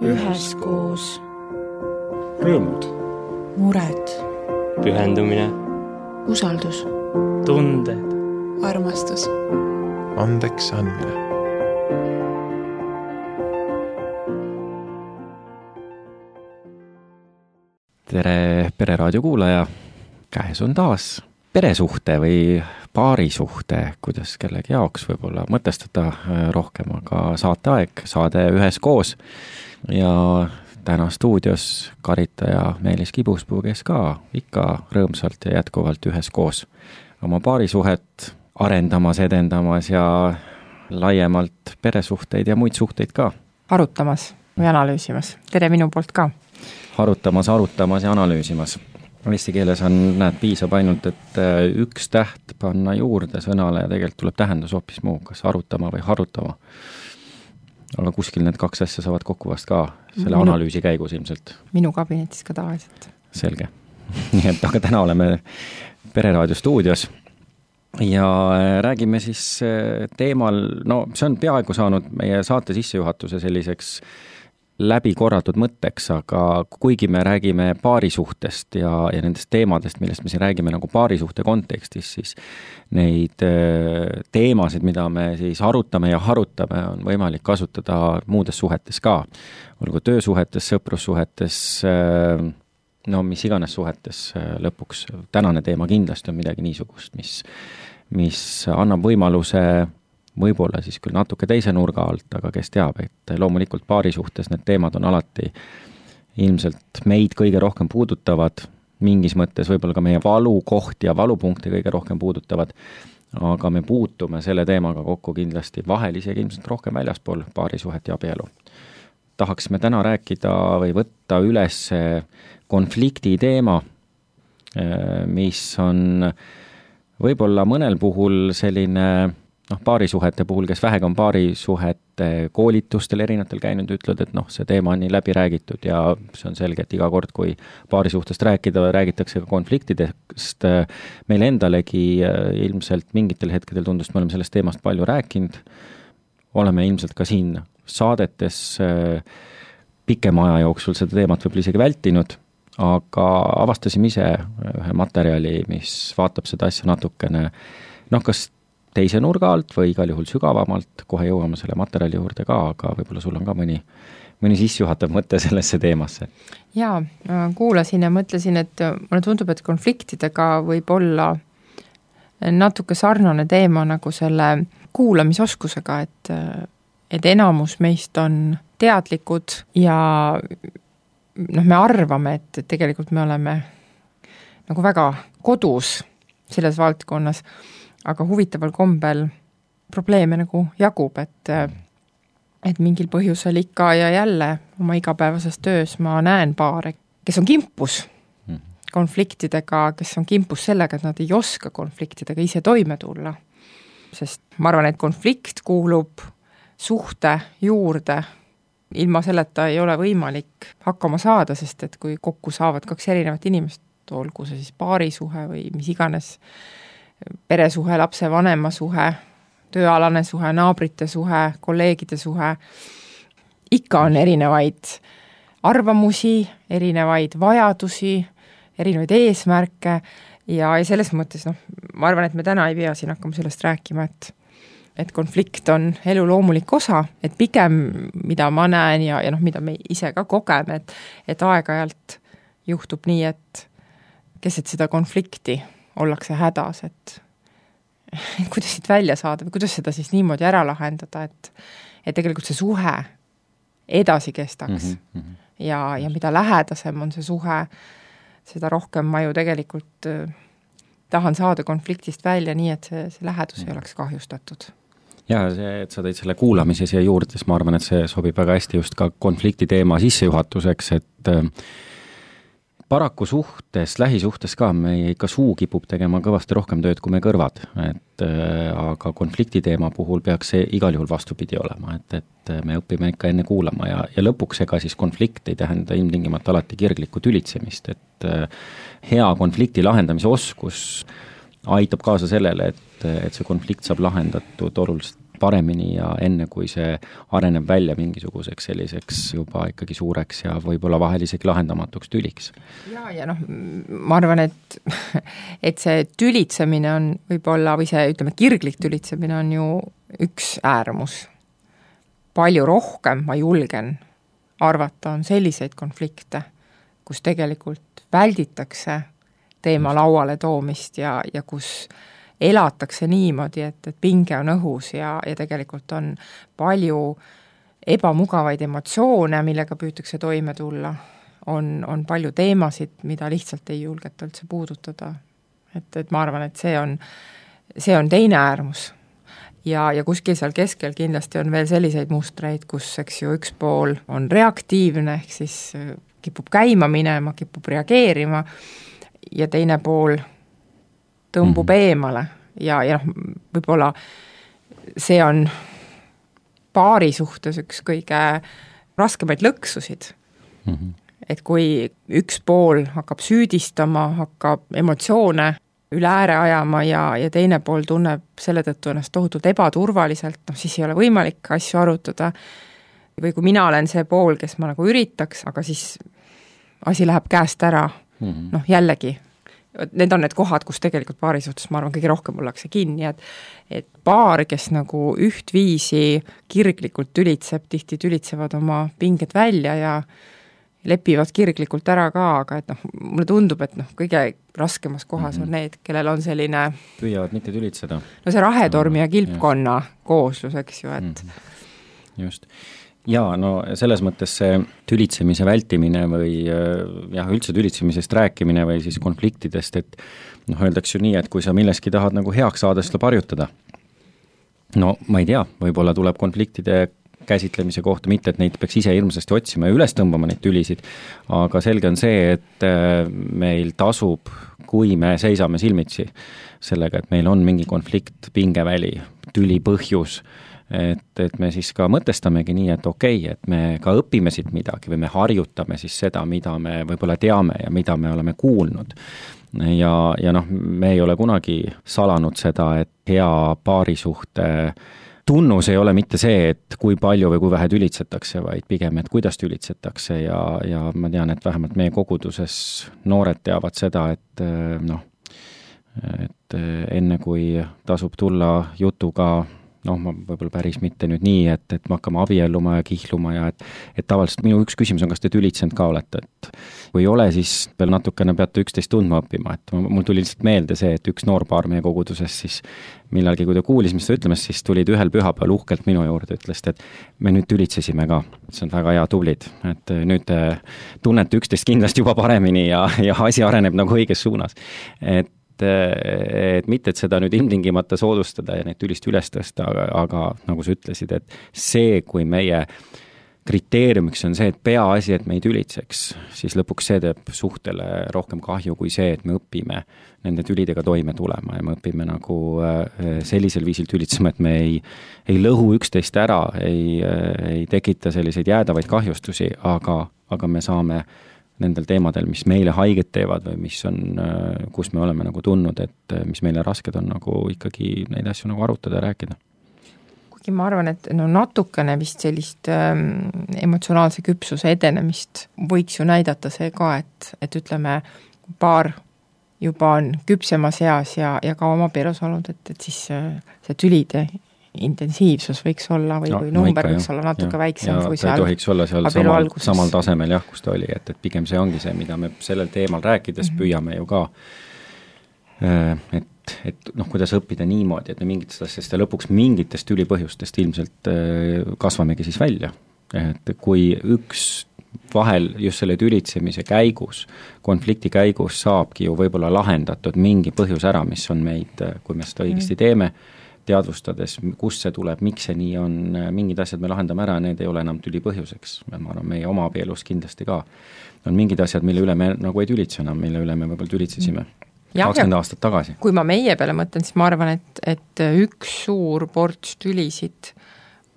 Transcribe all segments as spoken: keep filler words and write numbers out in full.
üheskoos. Rõõmud. Mured. Pühendumine. Usaldus. Tunded. Armastus. Andeks andmine. Tere Pereraadio kuulaja, käes on taas peresuhte või paarisuhte, kuidas kellegi jaoks võib-olla mõtestada rohkem, aga saateaeg, saade üheskoos ja täna stuudios karitaja Meelis Kibuspuu, kes ka ikka rõõmsalt ja jätkuvalt üheskoos oma paarisuhet arendamas, edendamas ja laiemalt peresuhteid ja muid suhteid ka arutamas või analüüsimas. Tere minu poolt ka. Arutamas, arutamas ja analüüsimas. Eesti keeles on, näed, piisab ainult, et üks täht panna juurde sõnale ja tegelikult tuleb tähendus hoopis muu, kas arutama või harutama. Aga kuskil need kaks asja saavad kokku vast ka selle minu, analüüsi käigus ilmselt. Minu kabinetis ka tavaliselt. Selge. Nii et aga täna oleme Pereraadio stuudios ja räägime siis teemal, no see on peaaegu saanud meie saate sissejuhatuse selliseks läbi korratud mõtteks, aga kuigi me räägime paarisuhtest ja, ja nendest teemadest, millest me siin räägime nagu paarisuhte kontekstis, siis neid teemasid, mida me siis arutame ja harutame, on võimalik kasutada muudes suhetes ka. Olgu töösuhetes, sõprussuhetes, no mis iganes suhetes lõpuks. Tänane teema kindlasti on midagi niisugust, mis, mis annab võimaluse võib-olla siis küll natuke teise nurga alt, aga kes teab, et loomulikult paarisuhtes need teemad on alati ilmselt meid kõige rohkem puudutavad, mingis mõttes võib-olla ka meie valukohti ja valupunkti kõige rohkem puudutavad, aga me puutume selle teemaga kokku kindlasti vahel isegi ilmselt rohkem väljaspool paarisuhet ja abielu. Tahaksime täna rääkida või võtta üles konflikti teema, mis on võib-olla mõnel puhul selline noh, paarisuhete puhul, kes vähega on paarisuhete koolitustel erinevatel käinud, ütlevad, et noh, see teema on nii läbi räägitud ja see on selge, et iga kord, kui paarisuhtest rääkida, räägitakse ka konfliktidest. Meil endalegi ilmselt mingitel hetkedel tundus, me oleme sellest teemast palju rääkinud. Oleme ilmselt ka siin saadetes pikema aja jooksul seda teemat võib isegi vältinud, aga avastasime ise ühe materjali, mis vaatab seda asja natukene, noh, kas teise nurga alt või igal juhul sügavamalt, kohe jõuame selle materjali juurde ka, aga võib-olla sul on ka mõni, mõni sissejuhatav mõte sellesse teemasse. Jaa, kuulasin ja mõtlesin, et mulle tundub, et konfliktidega võib olla natuke sarnane teema nagu selle kuulamisoskusega, et, et enamus meist on teadlikud ja noh, me arvame, et tegelikult me oleme nagu väga kodus selles valdkonnas, aga huvitaval kombel probleeme nagu jagub, et, et mingil põhjusel ikka ja jälle oma igapäevases töös ma näen paare, kes on kimpus konfliktidega, kes on kimpus sellega, et nad ei oska konfliktidega ise toime tulla. Sest ma arvan, et konflikt kuulub suhte juurde. Ilma selleta ei ole võimalik hakkama saada, sest et kui kokku saavad kaks erinevat inimest, olgu see siis paarisuhe või mis iganes peresuhe, lapse vanema suhe, tööalane suhe, naabrite suhe, kolleegide suhe, ikka on erinevaid arvamusi, erinevaid vajadusi, erinevaid eesmärke ja, ja selles mõttes, noh, ma arvan, et me täna ei pea siin hakkama sellest rääkima, et, et konflikt on elu loomulik osa, et pigem, mida ma näen ja, ja noh, mida me ise ka kogeme, et, et aeg-ajalt juhtub nii, et keset seda konflikti ollakse hädas, et, et kuidas siit välja saada või kuidas seda siis niimoodi ära lahendada, et, et tegelikult see suhe edasi kestaks mm -hmm. ja, ja mida lähedasem on see suhe, seda rohkem ma ju tegelikult äh, tahan saada konfliktist välja nii, et see, see lähedus mm -hmm. ei oleks kahjustatud. Ja see, et sa tõid selle kuulamise siia juurde, siis ma arvan, et see sobib väga hästi just ka konflikti teema sissejuhatuseks, et äh, paraku suhtes, lähisuhtes ka, me ikka suu kipub tegema kõvasti rohkem tööd kui me kõrvad, et äh, aga konflikti teema puhul peaks see igal juhul vastupidi olema, et, et me õpime ikka enne kuulama ja, ja lõpuks ega siis konflikt ei tähenda ilmtingimata alati kirglikku tülitsemist, et äh, hea konflikti lahendamise oskus aitab kaasa sellele, et, et see konflikt saab lahendatud oluliselt paremini ja enne, kui see areneb välja mingisuguseks selliseks juba ikkagi suureks ja võib-olla vahel isegi lahendamatuks tüliks. Ja, ja noh, ma arvan, et, et see tülitsemine on võib-olla, või see, ütleme, kirglik tülitsemine on ju üks äärmus. Palju rohkem, ma julgen arvata, on selliseid konflikte, kus tegelikult välditakse teema lauale toomist ja, ja kus elatakse niimoodi, et, et pinge on õhus ja, ja tegelikult on palju ebamugavaid emotsioone, millega püütakse toime tulla. On, on palju teemasid, mida lihtsalt ei julgeta üldse puudutada. Et, et ma arvan, et see on, see on teine äärmus. Ja, ja kuskil seal keskel kindlasti on veel selliseid mustreid, kus eks ju üks pool on reaktiivne, ehk siis kipub käima minema, kipub reageerima ja teine pool tõmbub mm-hmm. eemale ja, ja võib-olla see on paari suhtes üks kõige raskemaid lõksusid. Mm-hmm. Et kui üks pool hakkab süüdistama, hakkab emotsioone üle ääre ajama ja, ja teine pool tunneb selle tõttu ennast tohutult ebaturvaliselt, noh siis ei ole võimalik asju arutada. Või kui mina olen see pool, kes ma nagu üritaks, aga siis asi läheb käest ära, mm-hmm. noh jällegi, need on need kohad, kus tegelikult paari suhtes, ma arvan, kõige rohkem ollakse kinni, et, et paar, kes nagu ühtviisi kirglikult tülitseb, tihti tülitsevad oma pinged välja ja lepivad kirglikult ära ka, aga et noh, mulle tundub, et noh, kõige raskemas kohas mm-hmm. on need, kellel on selline püüavad mitte tülitseda. No see rahetormi ja kilpkonna ja. Kooslus, eks ju, et mm-hmm. just. Jaa, no selles mõttes see tülitsemise vältimine või jah, üldse tülitsemisest rääkimine või siis konfliktidest, et noh, öeldaks ju nii, et kui sa milleski tahad nagu heaks saada, seda parjutada. No ma ei tea, võib-olla tuleb konfliktide käsitlemise kohta, mitte et neid peaks ise hirmsasti otsima ja üles tõmbama neid tülisid, aga selge on see, et meil tasub, kui me seisame silmitsi sellega, et meil on mingi konflikt, pingeväli, tüli põhjus, et, et me siis ka mõtestamegi nii, et okei, okay, et me ka õpime siit midagi või me harjutame siis seda, mida me võib-olla teame ja mida me oleme kuulnud. Ja, ja noh, me ei ole kunagi salanud seda, et hea paarisuhte tunnus ei ole mitte see, et kui palju või kui vähe tülitsetakse, vaid pigem, et kuidas tülitsetakse ja, ja ma tean, et vähemalt meie koguduses noored teavad seda, et noh, et enne kui tasub tulla jutuga, noh, ma võib-olla päris mitte nüüd nii, et, et me hakkame abielluma ja kihluma ja et, et tavaliselt minu üks küsimus on, kas te tülitsenud ka olete, et kui ei ole, siis veel natukene peate üksteist tundma õppima, et mul tuli lihtsalt meelde see, et üks noorpaar meie koguduses siis millalgi, kui ta kuulis, mis ta ütlemas, siis tulid ühel pühapäeval uhkelt minu juurde, ütles, et me nüüd tülitsesime ka, see on väga hea tublid, et nüüd tunnete üksteist kindlasti juba paremini ja, ja asi areneb nagu õiges suunas, et et mitte, et seda nüüd ilmtingimata soodustada ja neid tülist üles tõsta, aga, aga nagu sa ütlesid, et see, kui meie kriteeriumiks on see, et peaasi, et me ei tülitseks, siis lõpuks see teeb suhtele rohkem kahju kui see, et me õpime nende tülidega toime tulema ja me õpime nagu sellisel viisil tülitsema, et me ei, ei lõhu üksteist ära, ei, ei tekita selliseid jäädavaid kahjustusi, aga, aga me saame nendel teemadel, mis meile haiget teevad või mis on, kus me oleme nagu tundnud, et mis meile rasked on nagu ikkagi neid asju nagu arutada ja rääkida. Kuigi ma arvan, et no natukene vist sellist ähm, emotsionaalse küpsuse edenemist võiks ju näidata see ka, et, et ütleme, paar juba on küpsemas eas ja, ja ka oma perus olnud, et, et siis see tülide intensiivsus võiks olla või, no, või number no ikka, võiks jah, olla natuke ja, väiksem ja, kui seal tohiks olla seal samal, samal tasemel jah, kus ta oli, et, et pigem see ongi see, mida me sellel teemal rääkides mm-hmm. püüame ju ka et, et noh, kuidas õppida niimoodi, et me mingitest asjast ja lõpuks mingitest ülipõhjustest ilmselt kasvamegi siis välja, et kui üks vahel just selle tülitsemise käigus, konflikti käigus saabki ju võib-olla lahendatud mingi põhjus ära, mis on meid, kui me seda õigesti teeme, teadvustades, kust see tuleb, miks see nii on, mingid asjad me lahendame ära, need ei ole enam tüli põhjuseks. Ma arvan, meie oma abielus kindlasti ka. On mingid asjad, mille üle me nagu ei tülitse enam, mille üle me võib-olla tülitsesime kakskümmend aastat tagasi. Kui ma meie peale mõtlen, siis ma arvan, et, et üks suur ports tülisid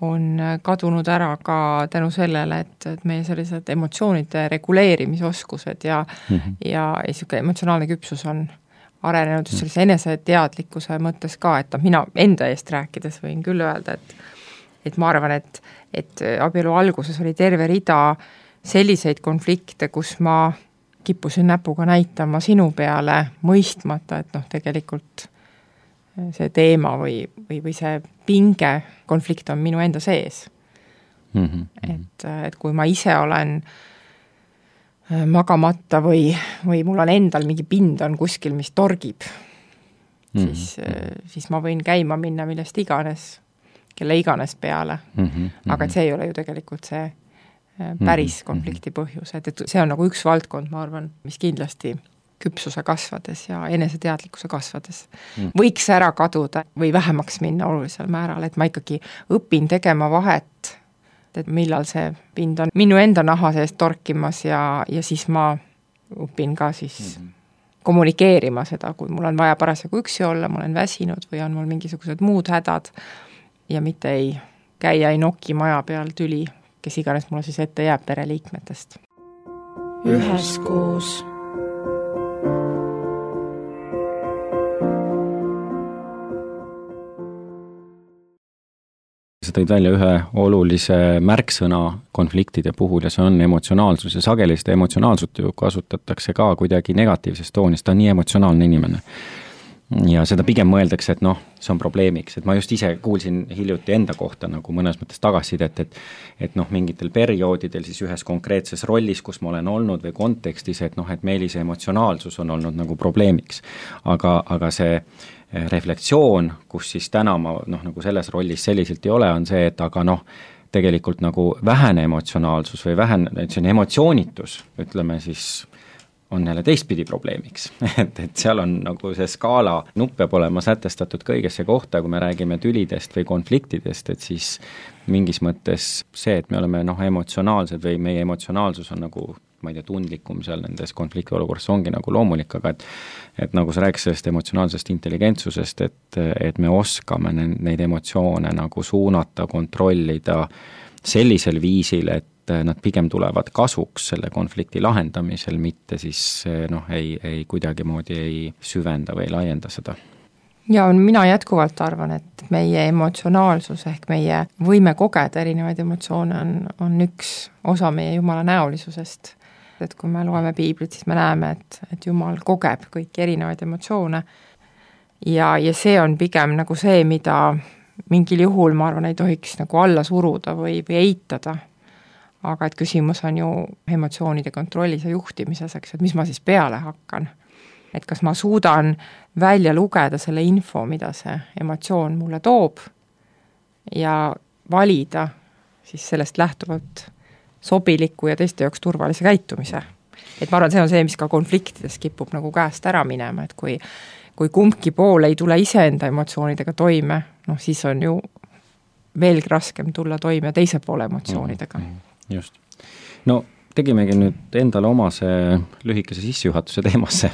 on kadunud ära ka tänu sellele, et, et meie sellised emotsioonide reguleerimisoskused ja, mm-hmm. ja, ja emotsionaalne küpsus on arenenud just sellise eneseteadlikkuse mõttes ka, et mina enda eest rääkides võin küll öelda, et et ma arvan, et, et abielu alguses oli terve rida selliseid konflikte, kus ma kippusin näpuga näitama sinu peale, mõistmata, et noh, tegelikult see teema või, või, või see pinge konflikt on minu enda sees. Mm-hmm. Et, et kui ma ise olen magamata või, või mul on endal mingi pind on kuskil, mis torgib, mm-hmm. siis, siis ma võin käima minna millest iganes, kelle iganes peale. Mm-hmm. Aga et see ei ole ju tegelikult see päris konflikti põhjus, et, et see on nagu üks valdkond, ma arvan, mis kindlasti küpsuse kasvades ja eneseteadlikkuse kasvades mm. võiks ära kaduda või vähemaks minna olulisel määral, et ma ikkagi õpin tegema vahet, et millal see pind on minu enda naha sees torkimas ja, ja siis ma õpin ka siis mm. kommunikeerima seda, kui mul on vaja parasjagu üksi olla, ma olen väsinud või on mul mingisugused muud hädad ja mitte ei käia, ei noki maja peal tüli, kes iganes mulle siis ette jääb pereliikmetest. Üheskoos. Sa tõid välja ühe olulise märksõna konfliktide puhul ja see on emotsionaalsus ja sageli seda emotsionaalsut ju kasutatakse ka kuidagi negatiivses toonis, ta on nii emotsionaalne inimene. Ja seda pigem mõeldakse, et noh, see on probleemiks, et ma just ise kuulsin hiljuti enda kohta nagu mõnes mõttes tagasisidet, et et noh, mingitel perioodidel siis ühes konkreetses rollis, kus ma olen olnud või kontekstis, et noh, et Meelise emotsionaalsus on olnud nagu probleemiks. Aga, aga see reflektsioon, kus siis täna ma noh, nagu selles rollis selliselt ei ole, on see, et aga noh, tegelikult nagu vähene emotsionaalsus või vähene, et see on emotsioonitus, ütleme siis, on jälle teistpidi probleemiks. et, et seal on nagu see skaala nupp peab olema sätestatud kõigesse kohta, kui me räägime tülidest või konfliktidest, et siis mingis mõttes see, et me oleme noh, emotsionaalsed või meie emotsionaalsus on nagu ma ei tea, tundlikum seal nendes konflikti olukorras ongi nagu loomulik, aga et, et nagu sa rääkis sellest emotsionaalsest intelligentsusest, et, et me oskame neid emotsioone nagu suunata, kontrollida sellisel viisil, et nad pigem tulevad kasuks selle konflikti lahendamisel, mitte siis noh, ei, ei kuidagimoodi ei süvenda või laienda seda. Ja mina jätkuvalt arvan, et meie emotsionaalsus ehk meie võime kogeda erinevaid emotsioone on, on üks osa meie Jumala näolisusest. Et kui me loeme piiblit, siis me näeme, et, et Jumal kogeb kõiki erinevaid emotsioone ja, ja see on pigem nagu see, mida mingil juhul, ma arvan, ei tohiks nagu alla suruda või, või eitada. Aga et küsimus on ju emotsioonide kontrollis ja juhtimises, eks, et mis ma siis peale hakkan. Et kas ma suudan välja lugeda selle info, mida see emotsioon mulle toob ja valida siis sellest lähtuvalt sobiliku ja teiste jaoks turvalise käitumise. Et ma arvan, see on see, mis ka konfliktides kipub nagu käest ära minema, et kui, kui kumbki pool ei tule iseenda emotsioonidega toime, noh siis on ju veelgi raskem tulla toime teise poole emotsioonidega. Just. No tegimegi nüüd endale omase lühikese sissejuhatuse teemasse,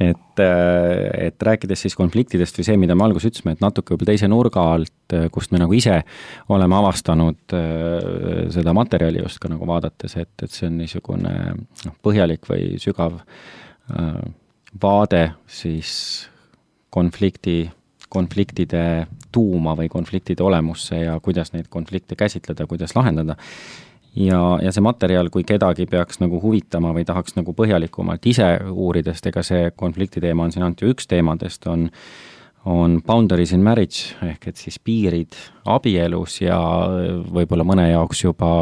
et, et rääkides siis konfliktidest või see, mida me alguses ütlesime, et natuke võib teise nurga alt, kust me nagu ise oleme avastanud seda materjali just ka nagu vaadates, et, et see on niisugune noh, põhjalik või sügav vaade siis konflikti, konfliktide tuuma või konfliktide olemusse ja kuidas neid konflikte käsitleda, kuidas lahendada. Ja, ja see materjal, kui kedagi peaks nagu huvitama või tahaks nagu põhjalikumalt ise uuridest, ega see konflikti teema on siin ainult ju üks teemadest, on, on Boundaries in Marriage, ehk et siis piirid abielus ja võib-olla mõne jaoks juba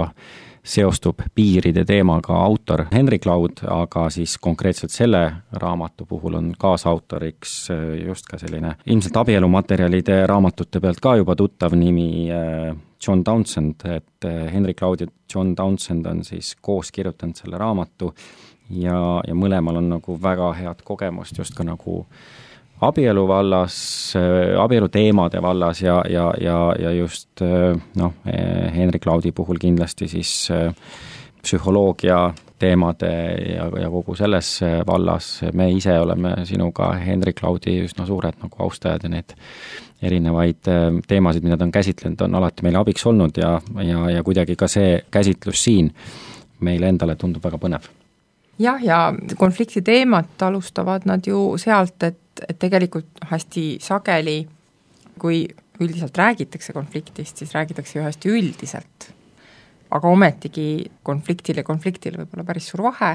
seostub piiride teemaga autor Henry Cloud, aga siis konkreetselt selle raamatu puhul on kaasautoriks just ka selline ilmselt abielumaterjalide raamatute pealt ka juba tuttav nimi John Townsend, et Henry Cloud ja John Townsend on siis koos kirjutanud selle raamatu ja, ja mõlemal on nagu väga head kogemust just ka nagu abielu vallas, abielu teemade vallas ja, ja, ja, ja just noh, Henry Cloudi puhul kindlasti siis psühholoogia teemade ja, ja kogu selles vallas. Me ise oleme sinuga Henry Cloudi üsna suured nagu austajad ja need erinevaid teemasid, mida ta on käsitlenud, on alati meile abiks olnud ja, ja, ja kuidagi ka see käsitlus siin meile endale tundub väga põnev. Jah, ja konflikti teemat alustavad nad ju sealt, et et tegelikult hästi sageli, kui üldiselt räägitakse konfliktist, siis räägitakse ju hästi üldiselt. Aga ometigi konfliktil ja konfliktil võib olla päris suur vahe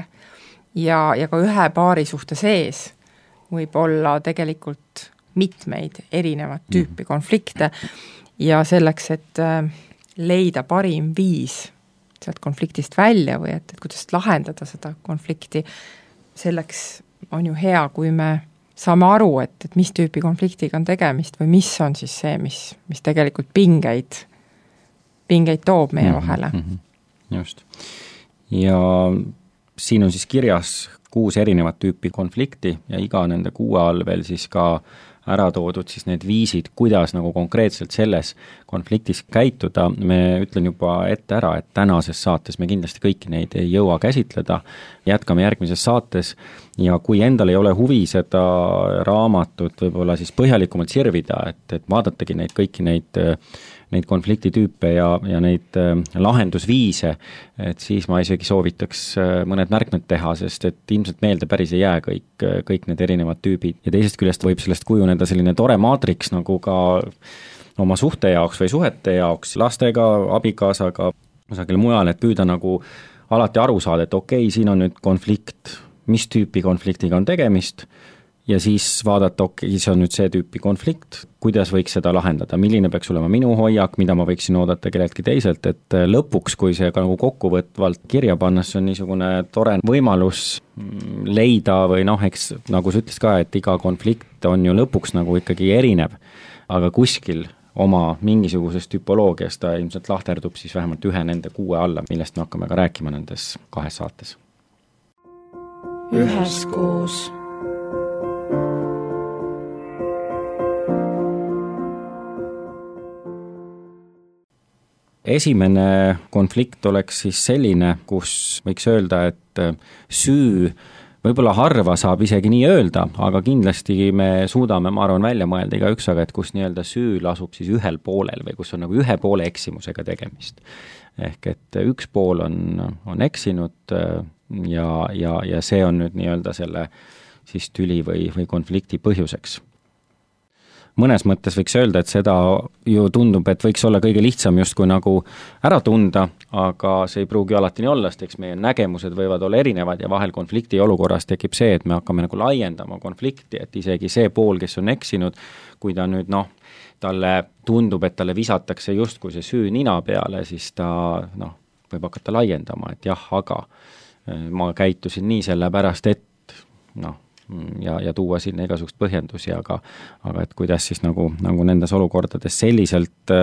ja, ja ka ühe paari suhte sees võib olla tegelikult mitmeid erinevat tüüpi konflikte ja selleks, et leida parim viis sealt konfliktist välja või et, et kuidas lahendada seda konflikti, selleks on ju hea, kui me saame aru, et, et mis tüüpi konfliktiga on tegemist või mis on siis see, mis, mis tegelikult pingeid, pingeid toob meie vahele. Mm-hmm. Just. Ja siin on siis kirjas kuus erinevat tüüpi konflikti ja iga nende kuue all veel siis ka ära toodud siis need viisid, kuidas nagu konkreetselt selles konfliktis käituda. Me ütlen juba ette ära, et tänases saates me kindlasti kõiki neid ei jõua käsitleda. Jätkame järgmises saates ja kui endal ei ole huvi seda raamatut võib-olla siis põhjalikumalt sirvida, et, et vaadatagi neid kõiki neid neid konfliktitüüpe ja, ja neid äh, lahendusviise, et siis ma isegi soovitaks äh, mõned märkmed teha, sest et ilmselt meelde päris ei jää kõik, kõik need erinevad tüübid. Ja teisest küljest võib sellest kujuneda selline tore maatriks nagu ka oma suhte jaoks või suhete jaoks, lastega, abikaasaga, kusagil mujal, et püüda nagu alati aru saada, et okei, okay, siin on nüüd konflikt, mis tüüpi konfliktiga on tegemist, ja siis vaadata, okei, okay, see on nüüd see tüüpi konflikt, kuidas võiks seda lahendada, milline peaks olema minu hoiak, mida ma võiksin oodata kelleltki teiselt, et lõpuks, kui see ka nagu kokkuvõtvalt kirja panna, see on niisugune tore võimalus leida või noh, eks nagu sa ütles ka, et iga konflikt on ju lõpuks nagu ikkagi erinev, aga kuskil oma mingisugusest tüpoloogiast ta ilmselt lahterdub siis vähemalt ühe nende kuue alla, millest me hakkame ka rääkima nendes kahes saates. Üheskoos. Esimene konflikt oleks siis selline, kus võiks öelda, et süü võib-olla harva saab isegi nii öelda, aga kindlasti me suudame, ma arvan, välja mõelda igaüks, aga et kus nii-öelda süü lasub siis ühel poolel või kus on nagu ühe poole eksimusega tegemist. Ehk et üks pool on, on eksinud ja, ja, ja see on nüüd nii-öelda selle siis tüli või, või konflikti põhjuseks. Mõnes mõttes võiks öelda, et seda ju tundub, et võiks olla kõige lihtsam justkui nagu ära tunda, aga see ei pruugi alati nii olla, sest eks meie nägemused võivad olla erinevad ja vahel konflikti olukorras tekib see, et me hakkame nagu laiendama konflikti, et isegi see pool, kes on eksinud, kui ta nüüd noh, talle tundub, et talle visatakse justkui see süü nina peale, siis ta noh, võib hakata laiendama, et jah, aga ma käitusin nii sellepärast, et noh, ja, ja tuua sinna igasugust põhjendusi, aga, aga et kuidas siis nagu, nagu nendes olukordades selliselt,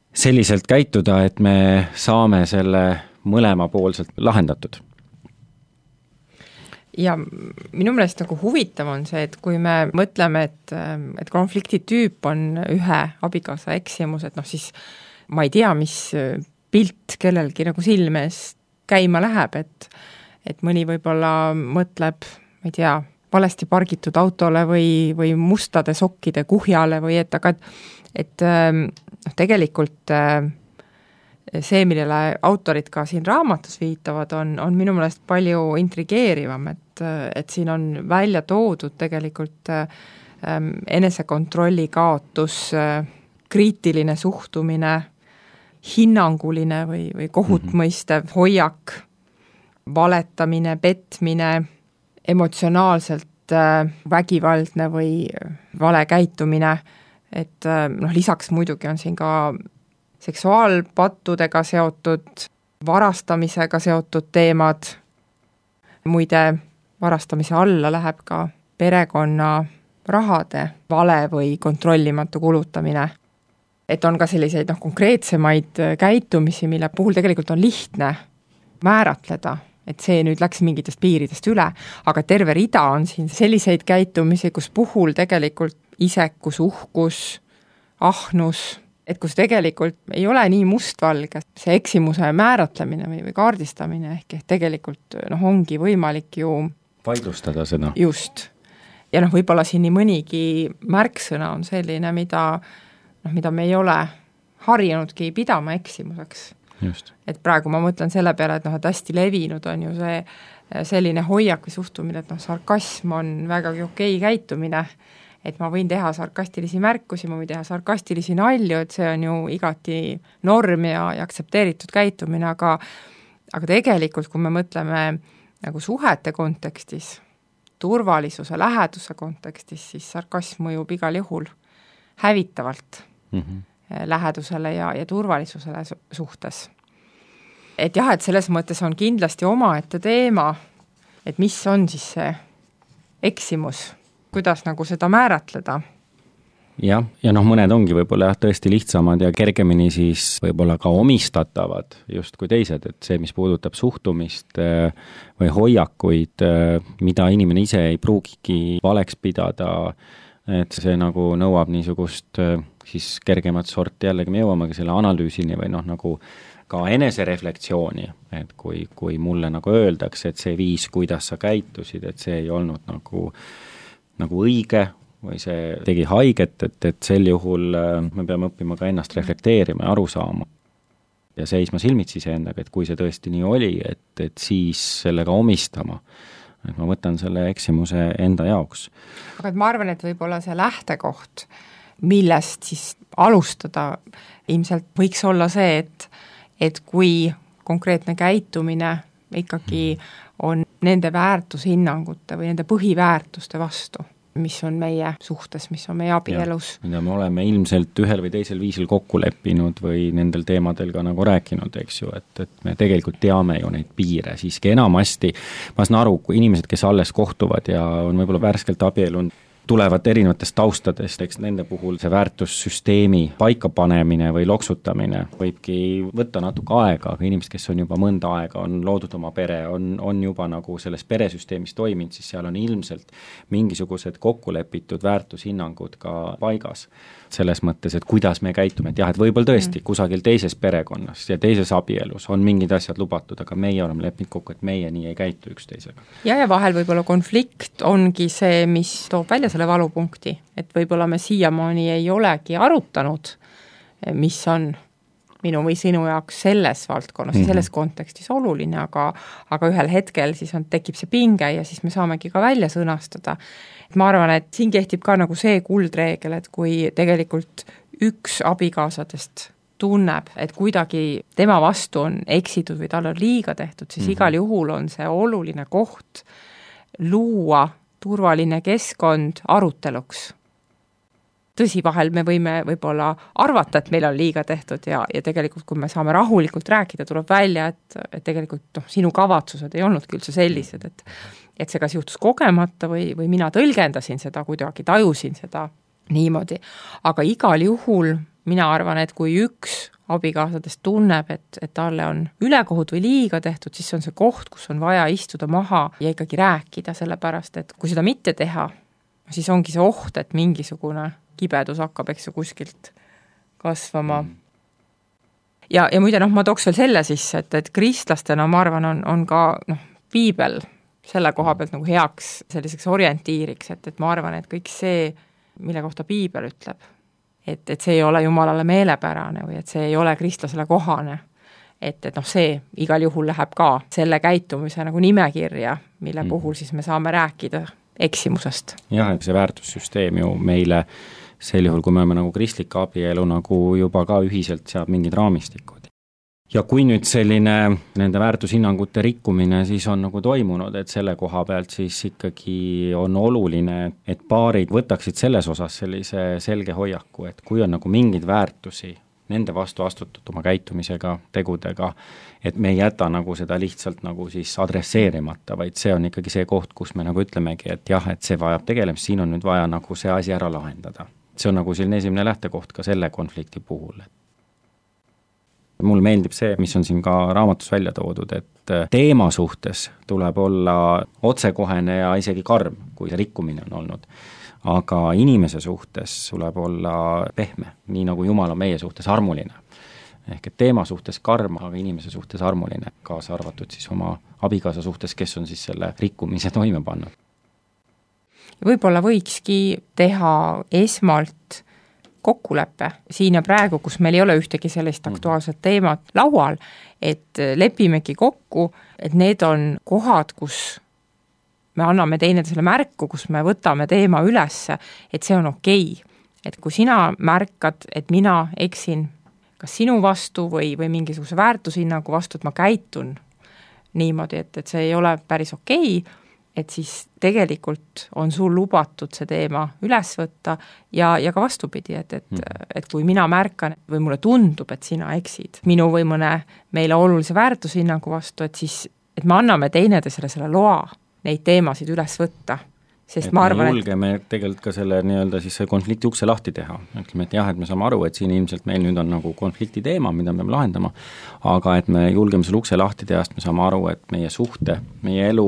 selliselt käituda, et me saame selle mõlemapoolselt lahendatud. Ja minu meelest nagu huvitav on see, et kui me mõtleme, et, et konflikti tüüp on ühe abikaasa eksimus, et noh siis ma ei tea, mis pilt kellelgi nagu silmes käima läheb, et, et mõni võib-olla mõtleb ma ei tea, valesti pargitud autole või, või mustade sokkide kuhjale või et, aga et, et noh, tegelikult see, millele autorid ka siin raamatus viitavad, on, on minu meelest palju intrigeerivam, et, et siin on välja toodud tegelikult enesekontrolli kaotus, kriitiline suhtumine, hinnanguline või, või kohutmõistev hoiak, valetamine, petmine, emotsionaalselt vägivaldne või vale käitumine, et noh, lisaks muidugi on siin ka seksuaalpattudega seotud, varastamisega seotud teemad, muide varastamise alla läheb ka perekonna rahade vale või kontrollimatu kulutamine. Et on ka selliseid noh, konkreetsemaid käitumisi, mille puhul tegelikult on lihtne määratleda, et see nüüd läks mingitest piiridest üle, aga terve rida on siin selliseid käitumisi, kus puhul tegelikult isekus, uhkus, ahnus, et kus tegelikult ei ole nii mustvalge see eksimuse määratlemine või, või kaardistamine, ehk et tegelikult noh, ongi võimalik ju vaidlustada seda. Just. Ja noh, võib-olla siin nii mõnigi märksõna on selline, mida, noh, mida me ei ole harjunudki pidama eksimuseks. Just. Et praegu ma mõtlen selle peale, et noh, et hästi levinud on ju see selline hoiak või suhtumine, et noh, sarkasm on vägagi okei käitumine, et ma võin teha sarkastilisi märkusi, ma võin teha sarkastilisi nalju, et see on ju igati norm ja, ja aktsepteeritud käitumine, aga aga tegelikult, kui me mõtleme nagu suhete kontekstis, turvalisuse, läheduse kontekstis, siis sarkasm mõjub igal juhul hävitavalt mm -hmm. lähedusele ja, ja turvalisusele suhtes. Et jah, et selles mõttes on kindlasti omaette teema, et mis on siis see eksimus, kuidas nagu seda määratleda. Jah, ja noh, mõned ongi võib-olla jah, tõesti lihtsamad ja kergemini siis võib-olla ka omistatavad just kui teised, et see, mis puudutab suhtumist või hoiakuid, mida inimene ise ei pruugigi valeks pidada, et see nagu nõuab niisugust siis kergemat sorti, jällegi me jõuamegi selle analüüsini või noh, nagu ka enesereflektsiooni, et kui, kui mulle nagu öeldakse, et see viis, kuidas sa käitusid, et see ei olnud nagu, nagu õige või see tegi haiget, et, et sel juhul me peame õppima ka ennast reflekteerima ja aru saama. Ja seisma silmitsi iseendaga, et kui see tõesti nii oli, et, et siis sellega omistama. Et ma võtan selle eksimuse enda jaoks. Aga et ma arvan, et võib-olla see lähtekoht, millest siis alustada, ilmselt võiks olla see, et et kui konkreetne käitumine ikkagi on nende väärtushinnangute või nende põhiväärtuste vastu, mis on meie suhtes, mis on meie abielus. mida me oleme ilmselt ühel või teisel viisil kokku leppinud või nendel teemadel ka nagu rääkinud, eks ju, et, et me tegelikult teame ju neid piire siiski enamasti. Ma saan aru, kui inimesed, kes alles kohtuvad ja on võib-olla värskelt abielund, tulevad erinevatest taustadest, eks nende puhul see väärtussüsteemi paikapanemine või loksutamine võibki võtta natuke aega, aga inimesed, kes on juba mõnda aega, on loodud oma pere, on, on juba nagu selles peresüsteemis toiminud, siis seal on ilmselt mingisugused kokkulepitud väärtushinnangud ka paigas. Selles mõttes, et kuidas me käitume, et jah, et võib-olla tõesti kusagil teises perekonnas ja teises abielus on mingid asjad lubatud, aga meie oleme leppinud kokku, et meie nii ei käitu üksteisega. Ja, ja vahel võib-olla konflikt ongi see, mis toob välja selle valupunkti, et võib-olla me siiamaani ei olegi arutanud, mis on minu või sinu jaoks selles valdkonnas mm-hmm. ja selles kontekstis oluline, aga, aga ühel hetkel siis on, tekib see pinge ja siis me saamegi ka välja sõnastada. Ma arvan, et siin kehtib ka nagu see kuldreegel, et kui tegelikult üks abikaasadest tunneb, et kuidagi tema vastu on eksitud või tal on liiga tehtud, siis mm-hmm. igal juhul on see oluline koht luua turvaline keskkond aruteluks. Tõsi, vahel me võime võib-olla arvata, et meil on liiga tehtud ja, ja tegelikult, kui me saame rahulikult rääkida, tuleb välja, et, et tegelikult noh, sinu kavatsused ei olnudki üldse sellised, et, et see kas juhtus kogemata või, või mina tõlgendasin seda kuidagi, tajusin seda niimoodi. Aga igal juhul mina arvan, et kui üks abikaasadest tunneb, et, et talle on ülekohut või liiga tehtud, siis on see koht, kus on vaja istuda maha ja ikkagi rääkida, sellepärast, et kui seda mitte teha, siis ongi see oht, et mingisugune kibedus hakkab, eks ju, kuskilt kasvama. Mm. Ja, ja muide, noh, ma tooks veel selle sisse, et, et kristlastena, ma arvan, on, on ka noh, piibel selle koha pealt nagu heaks selliseks orientiiriks, et, et ma arvan, et kõik see, mille kohta piibel ütleb, et, et see ei ole jumalale meelepärane või et see ei ole kristlasele kohane, et, et noh, see igal juhul läheb ka selle käitumise nagu nimekirja, mille mm. puhul siis me saame rääkida eksimusest. Jah, et see väärtussüsteem ju meile sel juhul, kui me oleme nagu kristlik abielu nagu juba ka ühiselt seab mingid raamistikud. Ja kui nüüd selline nende väärtushinnangute rikkumine siis on nagu toimunud, et selle koha pealt siis ikkagi on oluline, et paarid võtaksid selles osas sellise selge hoiaku, et kui on nagu mingid väärtusi nende vastu astutud oma käitumisega, tegudega, et me ei jäta nagu seda lihtsalt nagu siis adresseerimata, vaid see on ikkagi see koht, kus me nagu ütlemegi, et jah, et see vajab tegelemist, siin on nüüd vaja nagu see asi ära lahendada. See on nagu selline esimene lähtekoht ka selle konflikti puhul. Mulle meeldib see, mis on siin ka raamatus välja toodud, et teema suhtes tuleb olla otsekohene ja isegi karm, kui see rikkumine on olnud. Aga inimese suhtes tuleb olla pehme, nii nagu Jumal on meie suhtes armuline. Ehk et teema suhtes karm, aga inimese suhtes armuline, kaasa arvatud siis oma abikaasa suhtes, kes on siis selle rikkumise toime pannud. Võib-olla võikski teha esmalt kokkulepe siin ja praegu, kus meil ei ole ühtegi sellist aktuaalset teemat laual, et lepimegi kokku, et need on kohad, kus me anname teineteisele märku, kus me võtame teema ülesse, et see on okei. Et kui sina märkad, et mina eksin kas sinu vastu või, või mingisuguse väärtushinnagu vastu, et ma käitun niimoodi, et, et see ei ole päris okei, et siis tegelikult on sul lubatud see teema üles võtta ja, ja ka vastupidi, et, et, mm. et kui mina märkan või mulle tundub, et sina eksid minu või mõne meile olulise väärtushinnagu vastu, et siis, et me anname teineteisele selle loa neid teemasid üles võtta. Sest et ma arvan, me julgeme et... tegelikult ka selle nii-öelda siis konflikti ukse lahti teha. Ütleme, et jah, et me saame aru, et siin ilmselt meil nüüd on nagu konflikti teema, mida me peame lahendama, aga et me julgeme selle ukse lahti teha, sest me saame aru, et meie suhte, meie elu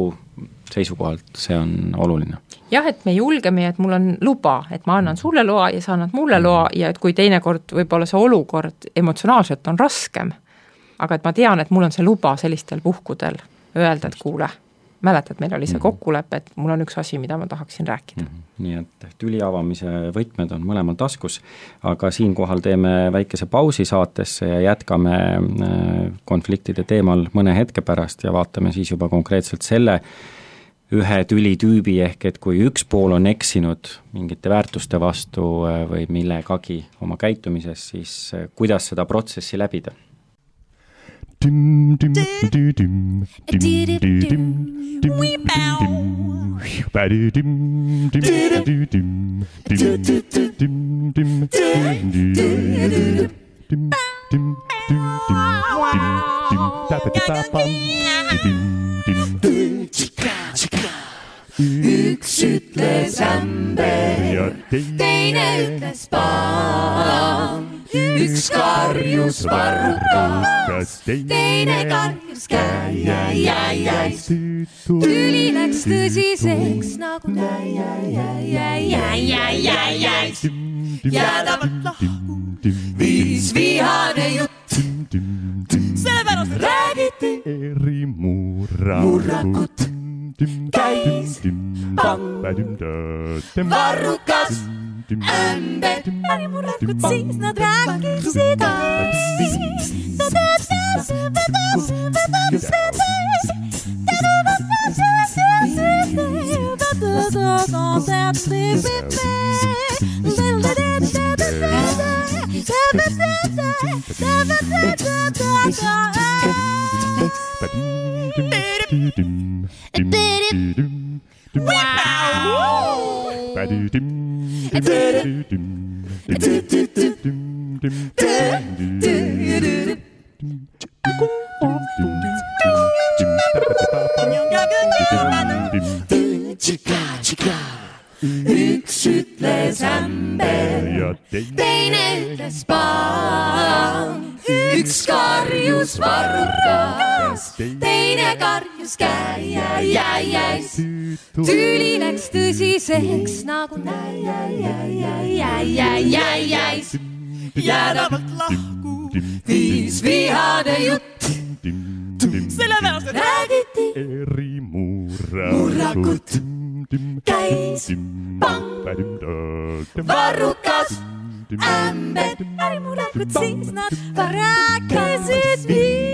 seisukohalt see on oluline. Jah, et me julgeme, et mul on luba, et ma annan sulle loa ja sa annad mulle loa ja et kui teinekord võib-olla see olukord emotsionaalselt on raskem, aga et ma tean, et mul on see luba sellistel puhkudel öelda, et kuule, mäletad, meil oli see kokkulepe, et mul on üks asi, mida ma tahaksin rääkida. Mm-hmm. Nii et tüli avamise võtmed on mõlemal taskus, aga siinkohal teeme väikese pausi saatesse ja jätkame konfliktide teemal mõne hetke pärast ja vaatame siis juba konkreetselt selle ühe tülitüübi ehk, et kui üks pool on eksinud mingite väärtuste vastu või millegagi oma käitumises, siis kuidas seda protsessi läbida? Dim dim dim dim dim dim dim dim badi dim dim dim dim dim dim dim dim dim dim üks ütles ämber ja teine ütles paan. Üks karjus varrukas, teine karjus käi-jäi-jäi-jäi. Tüli läks tõsiseks nagu jäi-jäi-jäi-jäi-jäi. Jäädavalt lahku, viis vihane jutt. Sellepärast räägiti eri murrakut. Käis pang, varrukas, ämber, äri murrakut, siis nad rääkisid üks ütles ämber ja teine ütles paan. Üks karjus varrukas, teine karjus käi-jäi-jäi-jäi. Tüli läks tõsiseks nagu näi-jäi-jäi-jäi-jäi-jäi. Jäädavalt lahku, viis vihane jutt. Sellepärast räägiti eri murrakut. Käis pang, varrukas, ämber, äri murrakut, siis nad rääkisid nii.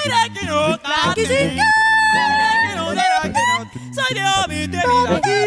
Ei rääkinud, rääkisid nii. Ei rääkinud, ei rääkinud, sa ei tea mitte midagi.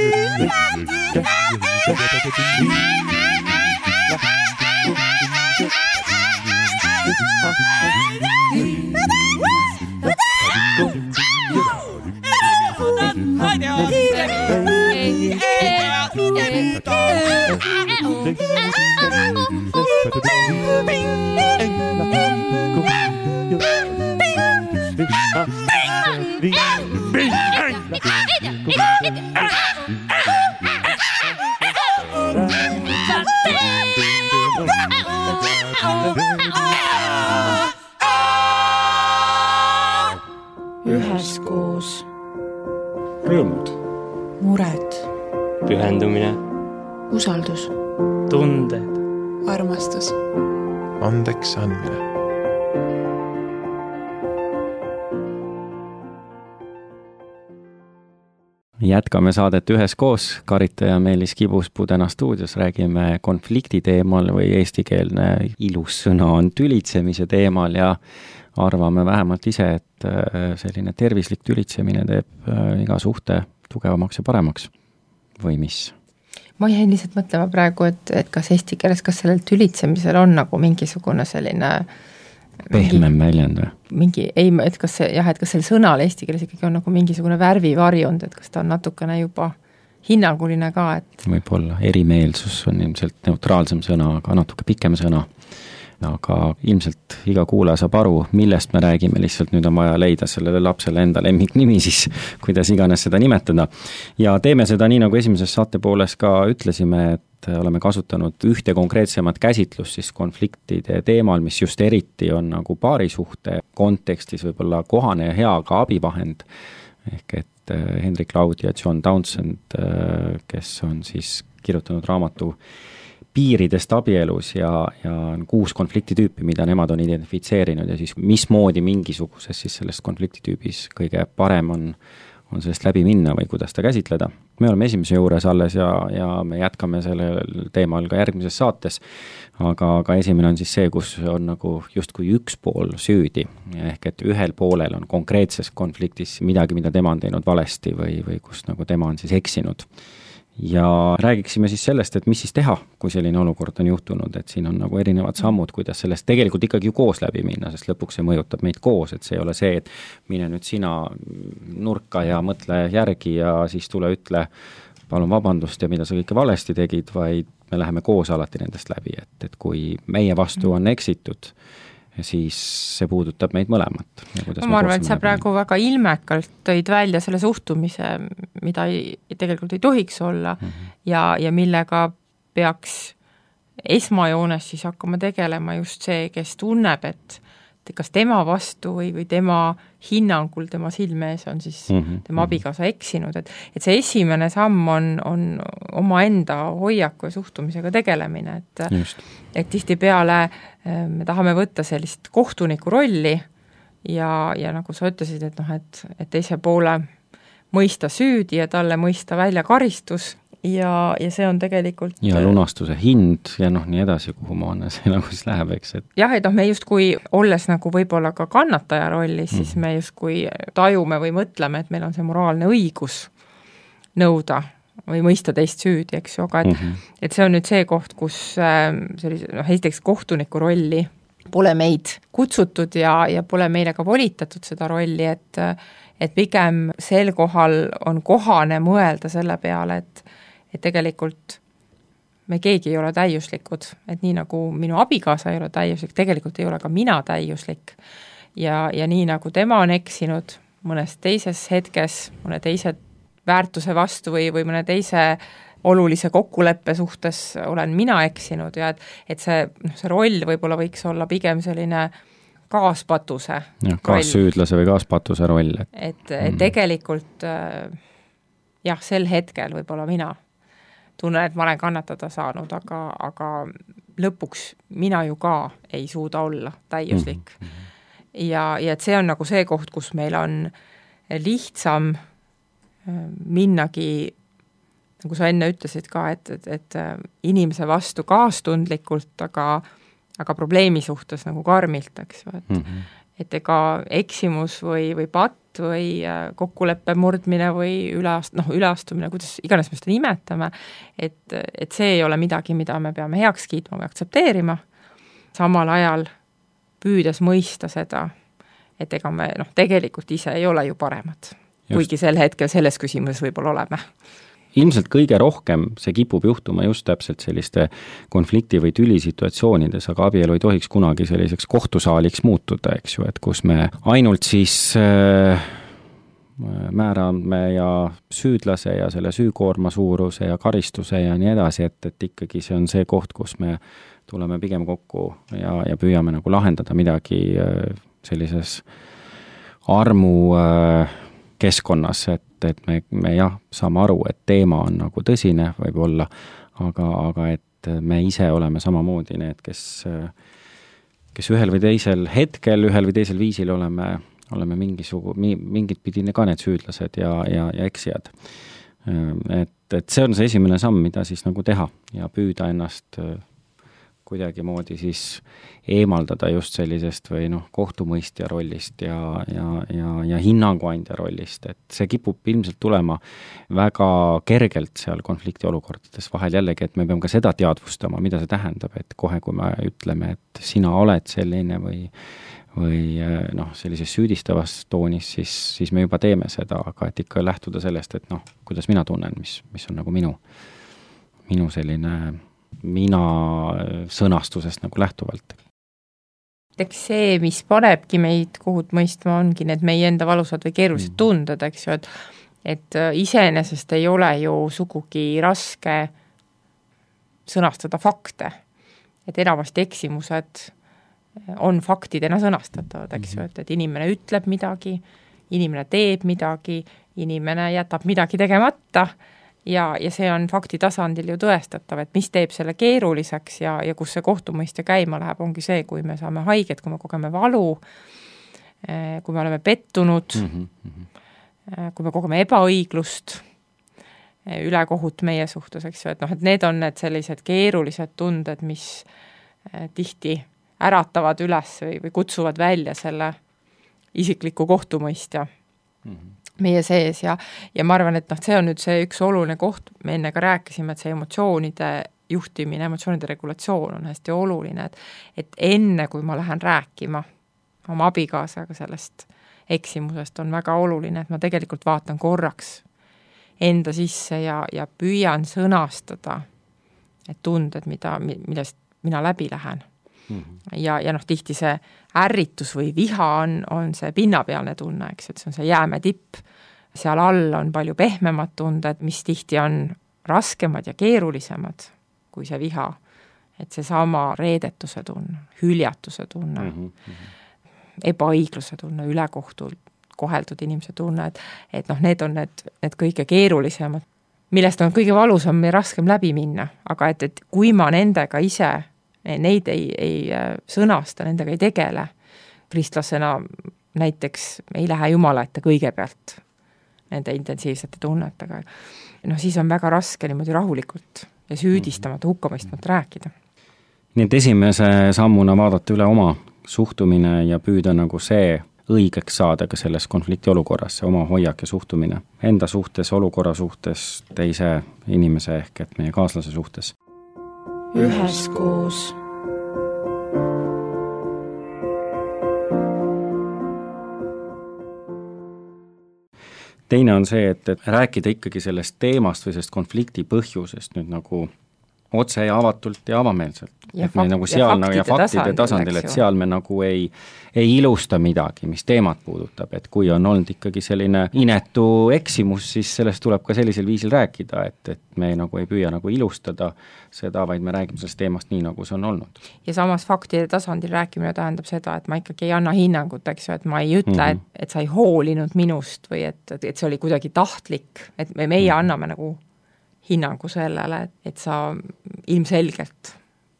Üheskoos. Rõõmud. Mured. Pühendumine. Usaldus. Tunded. Armastus. Andeks andmine. jätkame saadet üheskoos, Karita ja Meelis Kibuspuu täna stuudios, räägime konflikti teemal või eestikeelne ilus sõna on tülitsemise teemal ja arvame vähemalt ise, et selline tervislik tülitsemine teeb iga suhte tugevamaks ja paremaks. Või mis? Ma jäin lihtsalt mõtlema praegu, et, et kas eesti keeles, kas sellel tülitsemisel on nagu mingisugune selline pehmem väljend või? Mingi, ei, et kas see, jah, et kas sel sõnal eesti keeles ikkagi on nagu mingisugune värvivarjund, et kas ta on natukene juba hinnanguline ka, et võib-olla erimeelsus on ilmselt neutraalsem sõna, aga natuke pikem sõna. Aga ilmselt iga kuulaja saab aru, millest me räägime, lihtsalt nüüd on vaja leida sellele lapsele enda lemmiknimi siis, kuidas iganes seda nimetada. Ja teeme seda nii, nagu esimeses saate pooles ka ütlesime, et oleme kasutanud ühte konkreetsemat käsitlust siis konfliktide teemal, mis just eriti on nagu paarisuhte kontekstis võib-olla kohane ja hea ka abivahend. Ehk et Henrik Laud ja John Townsend, kes on siis kirjutanud raamatu piiridest abielus ja, ja kuus konfliktitüüpi, mida nemad on identifitseerinud ja siis mismoodi mingisuguses siis sellest konfliktitüübis kõige parem on, on sellest läbi minna või kuidas ta käsitleda. Me oleme esimese juures alles ja, ja me jätkame sellel teemal ka järgmises saates, aga, aga esimene on siis see, kus on nagu justkui üks pool süüdi, ehk et ühel poolel on konkreetses konfliktis midagi, mida tema on teinud valesti või, või kus nagu tema on siis eksinud. Ja räägiksime siis sellest, et mis siis teha, kui selline olukord on juhtunud, et siin on nagu erinevad sammud, kuidas sellest tegelikult ikkagi ju koos läbi minna, sest lõpuks see mõjutab meid koos, et see ei ole see, et mine nüüd sina nurka ja mõtle järgi ja siis tule ütle, palun vabandust ja mida sa kõike valesti tegid, vaid me läheme koos alati nendest läbi, et, et kui meie vastu on eksitud, siis see puudutab meid mõlemat. Ma arvan, et sa praegu väga ilmekalt tõid välja selle suhtumise, mida ei, tegelikult ei tohiks olla mm -hmm. ja, ja millega peaks esmajoones siis hakkama tegelema just see, kes tunneb, et kas tema vastu või, või tema hinnangul, tema silmees on siis mm -hmm. tema abikaasa eksinud, et, et see esimene samm on, on oma enda hoiaku ja suhtumisega tegelemine, et, et tihtipeale me tahame võtta sellist kohtuniku rolli ja, ja nagu sa ütlesid, et, noh, et, et teise poole mõista süüdi ja talle mõista välja karistus ja, ja see on tegelikult ja lunastuse hind ja noh, nii edasi, kuhu maana see nagu siis läheb, eks et jah, et noh, me justkui olles nagu võib-olla ka kannataja rollis, mm. siis me justkui tajume või mõtleme, et meil on see moraalne õigus nõuda või mõista teist süüdi, eks ju, aga et, mm -hmm. et see on nüüd see koht, kus sellise, noh, esiteks kohtuniku rolli pole meid kutsutud ja, ja pole meile ka volitatud seda rolli, et, et pigem sel kohal on kohane mõelda selle peale, et, et tegelikult me keegi ei ole täiuslikud, et nii nagu minu abikaasa ei ole täiuslik, tegelikult ei ole ka mina täiuslik ja, ja nii nagu tema on eksinud mõnes teises hetkes, mõne teise väärtuse vastu või, või mõne teise olulise kokkuleppe suhtes olen mina eksinud ja et, et see, noh, see roll võib-olla võiks olla pigem selline kaaspatuse ja, kaassüüdlase või kaaspatuse roll. Et, et, et tegelikult jah, sel hetkel võib-olla mina tunnen, et ma olen kannatada saanud, aga, aga lõpuks mina ju ka ei suuda olla täiuslik. Mm-hmm. Ja, ja et see on nagu see koht, kus meil on lihtsam minnagi, nagu sa enne ütlesid ka, et, et, et inimese vastu kaastundlikult, aga, aga probleemi suhtes nagu karmilt, eks ju, et, mm-hmm. et ega eksimus või, või patt või kokkuleppe murdmine või üleast, noh, üleastumine, kuidas iganes me seda nimetame, et, et see ei ole midagi, mida me peame heaks kiitma või aktsepteerima, samal ajal püüdes mõista seda, et ega me noh, tegelikult ise ei ole ju paremad. Just. Kuigi sel hetkel selles küsimuses võib-olla oleme. Ilmselt kõige rohkem see kipub juhtuma just täpselt selliste konflikti- või tülisituatsioonides, aga abielu ei tohiks kunagi selliseks kohtusaaliks muutuda, eks ju, et kus me ainult siis äh, määrame ja süüdlase ja selle süükoorma suuruse ja karistuse ja nii edasi, et, et ikkagi see on see koht, kus me tuleme pigem kokku ja, ja püüame nagu lahendada midagi äh, sellises armu äh, keskkonnas, et, et me, me jah, saame aru, et teema on nagu tõsine võib-olla, aga, aga et me ise oleme samamoodi need, kes, kes ühel või teisel hetkel, ühel või teisel viisil oleme, oleme mingisugu, mingit pidi ka need süüdlased ja, ja, ja eksijad. et, et see on see esimene samm, mida siis nagu teha ja püüda ennast kuidagimoodi siis eemaldada just sellisest või noh, kohtumõistja rollist ja, ja, ja, ja hinnanguandja rollist, et see kipub ilmselt tulema väga kergelt seal konflikti olukordades vahel jällegi, et me peame ka seda teadvustama, mida see tähendab, et kohe, kui me ütleme, et sina oled selline või või noh, sellises süüdistavas toonis, siis, siis me juba teeme seda, aga et ikka lähtuda sellest, et noh, kuidas mina tunnen, mis, mis on nagu minu, minu selline mina sõnastusest nagu lähtuvalt. Eks see, mis panebki meid kohut mõistma, ongi need meie enda valusad või keerulised tunded, eks ju, et, et iseenesest ei ole ju sugugi raske sõnastada fakte, et enamasti eksimused on faktidena sõnastatavad, eks ju, et, et inimene ütleb midagi, inimene teeb midagi, inimene jätab midagi tegemata ja, ja see on fakti tasandil ju tõestatav, et mis teeb selle keeruliseks ja, ja kus see kohtumõistja käima läheb, ongi see, kui me saame haiget, kui me kogeme valu, kui me oleme pettunud, mm -hmm. kui me kogeme ebaõiglust, ülekohut meie suhtes, eks ju, et noh, et need on need sellised keerulised tunded, mis tihti äratavad üles või, või kutsuvad välja selle isikliku kohtumõistja mm -hmm. meie sees ja, ja ma arvan, et noh, see on nüüd see üks oluline koht, me enne ka rääkisime, et see emotsioonide juhtimine, emotsioonide regulatsioon on hästi oluline, et, et enne, kui ma lähen rääkima oma abikaasaga sellest eksimusest, on väga oluline, et ma tegelikult vaatan korraks enda sisse ja, ja püüan sõnastada need tunded, mida, millest mina läbi lähen. Ja, ja noh, tihti see ärritus või viha on, on see pinnapealne tunne, eks, et see on see jääme tipp, seal all on palju pehmemad tunded, mis tihti on raskemad ja keerulisemad kui see viha, et see sama reedetuse tunne, hüljatuse tunne, mm -hmm. ebaõigluse tunne, ülekohtult koheldud inimese tunne, et, et noh, need on need, need kõige keerulisemad, millest on kõige valusam ja raskem läbi minna, aga et, et kui ma nendega ise neid ei, ei sõnasta, nendega ei tegele. Kristlasena näiteks ei lähe Jumala ette kõigepealt nende intensiivsete tunnetega. noh, siis on väga raske niimoodi rahulikult ja süüdistamata, hukkamõistmata rääkida. Nii et esimese sammuna vaadata üle oma suhtumine ja püüda nagu see õigeks saada ka selles konflikti olukorras, see oma hoiak ja suhtumine enda suhtes, olukorra suhtes, teise inimese ehk et meie kaaslase suhtes. Üheskoos. Teine on see, et, et rääkida ikkagi sellest teemast või sellest konflikti põhjusest nüüd nagu otse ja avatult ja avameelselt. Ja et me fakt- nagu seal ja nagu, ja faktide faktide tasandil, tasandil, eks et ju. seal me nagu ei, ei ilusta midagi, mis teemat puudutab, et kui on olnud ikkagi selline inetu eksimus, siis sellest tuleb ka sellisel viisil rääkida, et, et me nagu ei püüa nagu ilustada seda, vaid me räägime sellest teemast nii, nagu see on olnud. Ja samas faktide tasandil rääkimine tähendab seda, et ma ikkagi ei anna hinnangut, eks ju, et ma ei ütle, mm -hmm. et, et sa ei hoolinud minust või et, et see oli kuidagi tahtlik, et me, meie mm -hmm. anname nagu hinnangu sellele, et, et sa ilmselgelt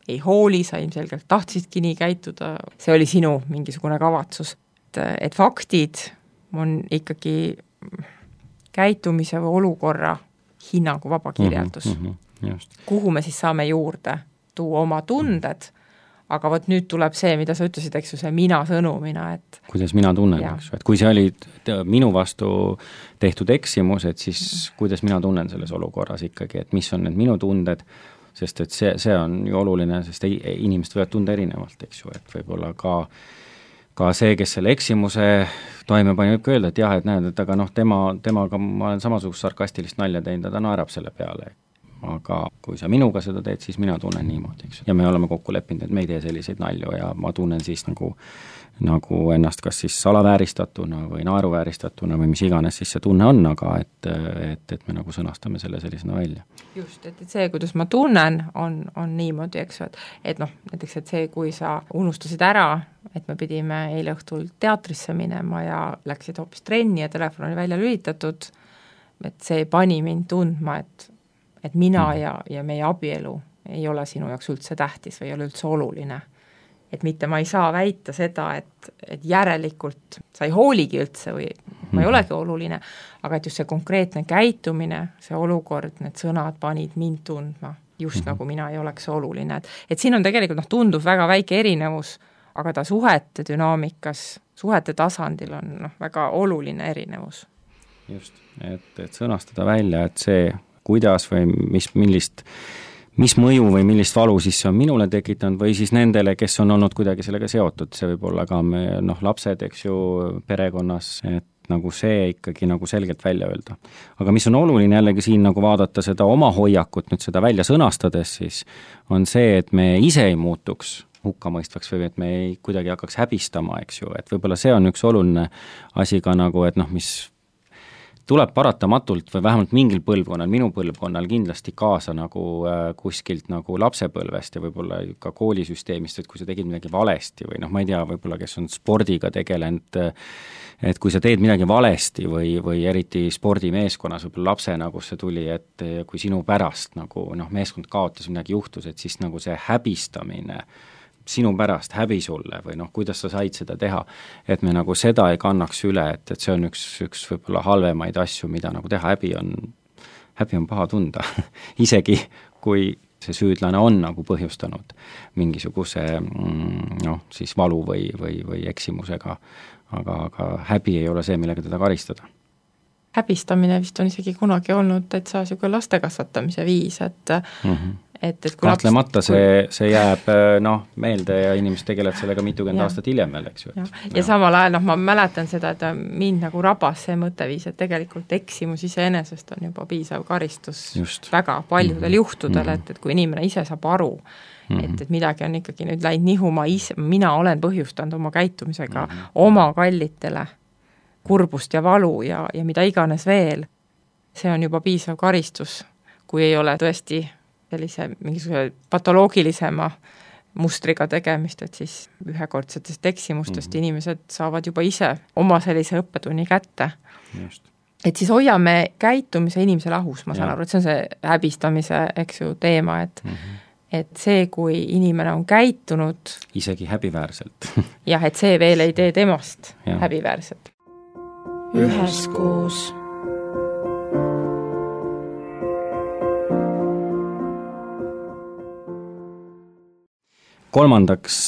ei hooli, sa ilmselgelt tahtsidki nii käituda, see oli sinu mingisugune kavatsus. Et, et faktid on ikkagi käitumise või olukorra hinnangu vaba kirjeldus. Mm -hmm, just. Kuhu me siis saame juurde tuua oma tunded, aga vot nüüd tuleb see, mida sa ütlesid, eks ju, see mina sõnumina, et kuidas mina tunnen, eks ju, et kui see oli minu vastu tehtud eksimus, et siis mm. kuidas mina tunnen selles olukorras ikkagi, et mis on need minu tunded, sest et see, see on ju oluline, sest ei, inimesed võivad tunda erinevalt, eks ju, et võib-olla ka ka see, kes selle eksimuse toime pani, võib ka öelda, et jah, et näed, et aga noh, tema, temaga ma olen samasugust sarkastilist nalja teinud ja ta naerab selle peale. Aga kui sa minuga seda teed, siis mina tunnen niimoodi, eks. Ja me oleme kokku leppinud, et me ei tee selliseid nalju ja ma tunnen siis nagu, nagu ennast kas siis salavääristatuna või naeruvääristatuna või mis iganes siis see tunne on, aga et, et, et me nagu sõnastame selle sellisena välja. Just, et, et see, kuidas ma tunnen, on, on niimoodi, eks ju, et, et noh, näiteks, et see, kui sa unustasid ära, et me pidime eile õhtul teatrisse minema ja läksid hoopis trenni ja telefon oli välja lülitatud, et see pani mind tundma, et et mina ja, ja meie abielu ei ole sinu jaoks üldse tähtis või ei ole üldse oluline. et mitte ma ei saa väita seda, et, et järelikult sa ei hooligi üldse või ma ei olegi oluline, aga et just see konkreetne käitumine, see olukord, need sõnad panid mind tundma, just mm-hmm. nagu mina ei oleks oluline, et, et siin on tegelikult noh, tundub väga väike erinevus, aga ta suhete dünaamikas, suhete tasandil on noh, väga oluline erinevus. Just, et, et sõnastada välja, et see, kuidas või mis, millist, mis mõju või millist valu siis see on minule tekitanud või siis nendele, kes on olnud kuidagi sellega seotud, see võib olla ka me, noh, lapsed, eks ju, perekonnas, et nagu see ikkagi nagu selgelt välja öelda. Aga mis on oluline jällegi siin nagu vaadata seda oma hoiakut, nüüd seda välja sõnastades, siis on see, et me ise ei muutuks hukkamõistvaks või et me ei kuidagi hakkaks häbistama, eks ju, et võib-olla see on üks oluline asi ka nagu, et noh, mis tuleb paratamatult või vähemalt mingil põlvkonnal, minu põlvkonnal kindlasti kaasa nagu äh, kuskilt nagu lapsepõlvest ja võib-olla ka koolisüsteemist, et kui sa tegid midagi valesti või noh, ma ei tea, võib-olla kes on spordiga tegelenud, et kui sa teed midagi valesti või, või eriti spordimeeskonnas võib-olla lapsena, kus see tuli, et kui sinu pärast nagu noh, meeskond kaotas, midagi juhtus, et siis nagu see häbistamine sinu pärast, häbi sulle või noh, kuidas sa said seda teha, et me nagu seda ei kannaks üle, et, et see on üks, üks võib-olla halvemaid asju, mida nagu teha, häbi on, häbi on paha tunda isegi kui see süüdlane on nagu põhjustanud mingisuguse noh, siis valu või, või, või eksimusega, aga, aga häbi ei ole see, millega teda karistada. Häbistamine vist on isegi kunagi olnud täitsa niisugune laste kasvatamise viis, et mm-hmm. et, et kui kahtlemata laps, see, see jääb noh, meelde ja inimesed tegelevad sellega mitukümmend aastat hiljem veel, eks ju. Ja, ja, ja samal ajal noh, ma mäletan seda, et mind nagu rabas see mõtteviis, et tegelikult eksimus iseenesest on juba piisav karistus Just. väga paljudel mm-hmm. juhtudel, mm-hmm. et, et kui inimene ise saab aru, mm-hmm. et, et midagi on ikkagi nüüd läinud nihuma, ise, mina olen põhjustanud oma käitumisega mm-hmm. oma kallitele kurbust ja valu ja, ja mida iganes veel, see on juba piisav karistus, kui ei ole tõesti sellise mingisuguse patoloogilisema mustriga tegemist, et siis ühekordsetest eksimustest mm-hmm. inimesed saavad juba ise oma sellise õppetunni kätte. Just. Et siis hoiame käitumise inimese lahus, ma saan ja. aru, et see on see häbistamise, eks ju, teema, et mm-hmm. et see, kui inimene on käitunud isegi häbiväärselt jah, et see veel ei tee temast ja. häbiväärselt. Üheskoos. Kolmandaks,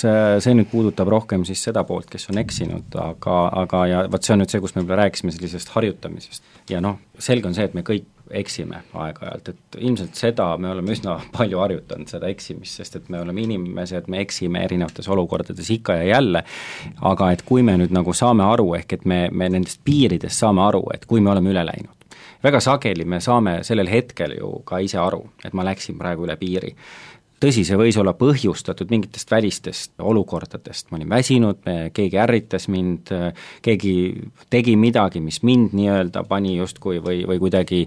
see nüüd puudutab rohkem siis seda poolt, kes on eksinud, aga, aga ja vaat see on nüüd see, kus me võib-olla rääkisime sellisest harjutamisest. Ja noh, selge on see, et me kõik eksime aeg-ajalt, et ilmselt seda me oleme üsna palju harjutanud, seda eksimist, sest et me oleme inimesed, me eksime erinevates olukordades ikka ja jälle, aga et kui me nüüd nagu saame aru, ehk et me, me nendest piiridest saame aru, et kui me oleme üle läinud, väga sageli me saame sellel hetkel ju ka ise aru, et ma läksin praegu üle piiri. Tõsi, see võis olla põhjustatud mingitest välistest olukordadest, ma olin väsinud, keegi ärritas mind, keegi tegi midagi, mis mind nii-öelda pani justkui või, või kuidagi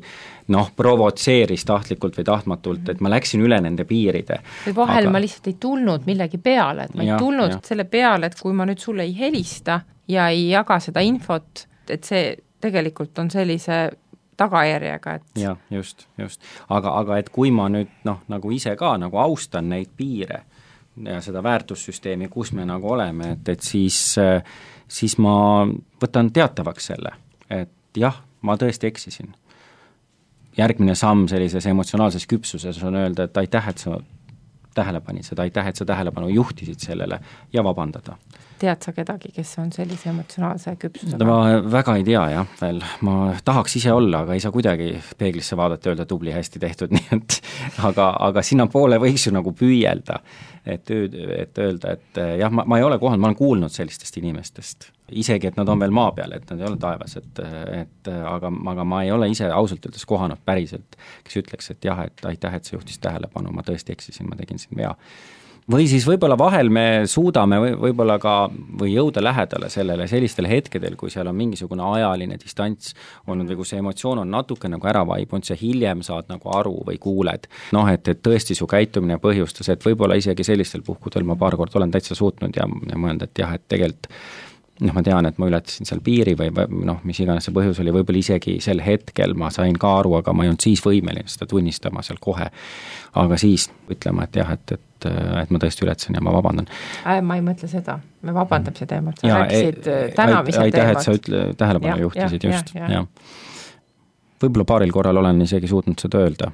noh, provotseeris tahtlikult või tahtmatult, et ma läksin üle nende piiride. Või vahel aga... ma lihtsalt ei tulnud millegi peale, et ma ja, ei tulnud ja. selle peale, et kui ma nüüd sulle ei helista ja ei jaga seda infot, et see tegelikult on sellise tagajärjega, et jah, just, just. Aga, aga et kui ma nüüd noh, nagu ise ka nagu austan neid piire ja seda väärtussüsteemi, kus me nagu oleme, et, et siis, siis ma võtan teatavaks selle, et jah, ma tõesti eksisin. Järgmine samm sellises emotsionaalses küpsuses on öelda, et aitäh, et sa tähele panid seda, aitäh, et sa tähelepanu juhtisid sellele ja vabandada. Tead sa kedagi, kes on sellise emotsionaalse küpsusega? Ma väga ei tea jah, veel. Ma tahaks ise olla, aga ei saa kuidagi peeglisse vaadata ja öelda tubli, hästi tehtud, nii et aga, aga sinna poole võiks ju nagu püüelda, et, et öelda, et jah, ma, ma ei ole kohal, ma olen kuulnud sellistest inimestest, isegi, et nad on veel maa peal, et nad ei ole taevas, et, et aga, aga ma ei ole ise ausalt öeldes kohanud päriselt, kes ütleks, et jah, et aitäh, et sa juhtis tähelepanu, ma tõesti eksisin, ma tegin siin vea. Või siis võib-olla vahel me suudame või, võib-olla ka või jõuda lähedale sellele sellistel hetkedel, kui seal on mingisugune ajaline distants olnud või kui see emotsioon on natuke nagu ära vaibunud, see hiljem saad nagu aru või kuuled. Noh, et, et tõesti su käitumine põhjustas, et võib-olla isegi sellistel puhkudel ma paar kord olen täitsa suutnud ja, ja mõelda, et jah, et tegelikult noh, ma tean, et ma ületasin seal piiri või noh, mis iganes see põhjus oli, võib-olla isegi sel hetkel ma sain ka aru, aga ma ei olnud siis võimeline seda tunnistama seal kohe. Aga siis ütlema, et jah, et, et, et ma tõesti ületasin ja ma vabandan. Äh, ma ei mõtle seda, me vabandamise teemat, sa rääkisid tänamise aitäh, teemat. et sa ütle, tähelepanu ja, juhtisid ja, just, ja, ja. jah. Võib-olla paaril korral olen isegi suutnud seda öelda,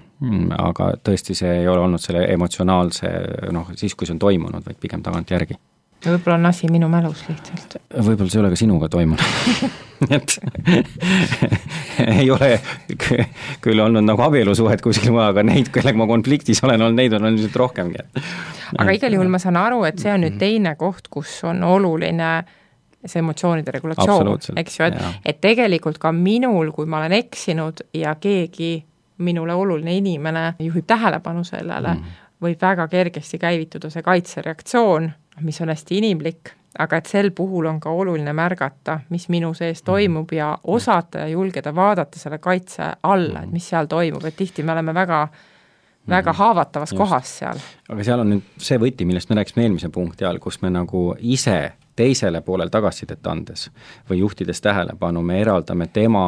aga tõesti see ei ole olnud selle emotsionaalse, noh, siis kui see on toimunud, vaid pigem tagant järgi. Võib-olla on asi minu mälus lihtsalt. Võib-olla see ei ole ka sinuga toimunud. et ei ole küll olnud nagu abielusuhet kuskil maha, aga neid, kellega ma konfliktis olen olnud, neid on ilmselt rohkemgi. Aga igal juhul ma saan aru, et see on nüüd teine koht, kus on oluline see emotsioonide regulatsioon, eks ju, et, et tegelikult ka minul, kui ma olen eksinud ja keegi minule oluline inimene juhib tähelepanu sellele, mm. võib väga kergesti käivituda see kaitsereaktsioon, mis on hästi inimlik, aga et sel puhul on ka oluline märgata, mis minu sees toimub ja osata ja julgeda vaadata selle kaitse alla, et mis seal toimub, et tihti me oleme väga, väga haavatavas Just. kohas seal. Aga seal on nüüd see võti, millest me rääkisime eelmise punkti all, kus me nagu ise teisele poolel tagasisidet andes või juhtides tähelepanu, me eraldame tema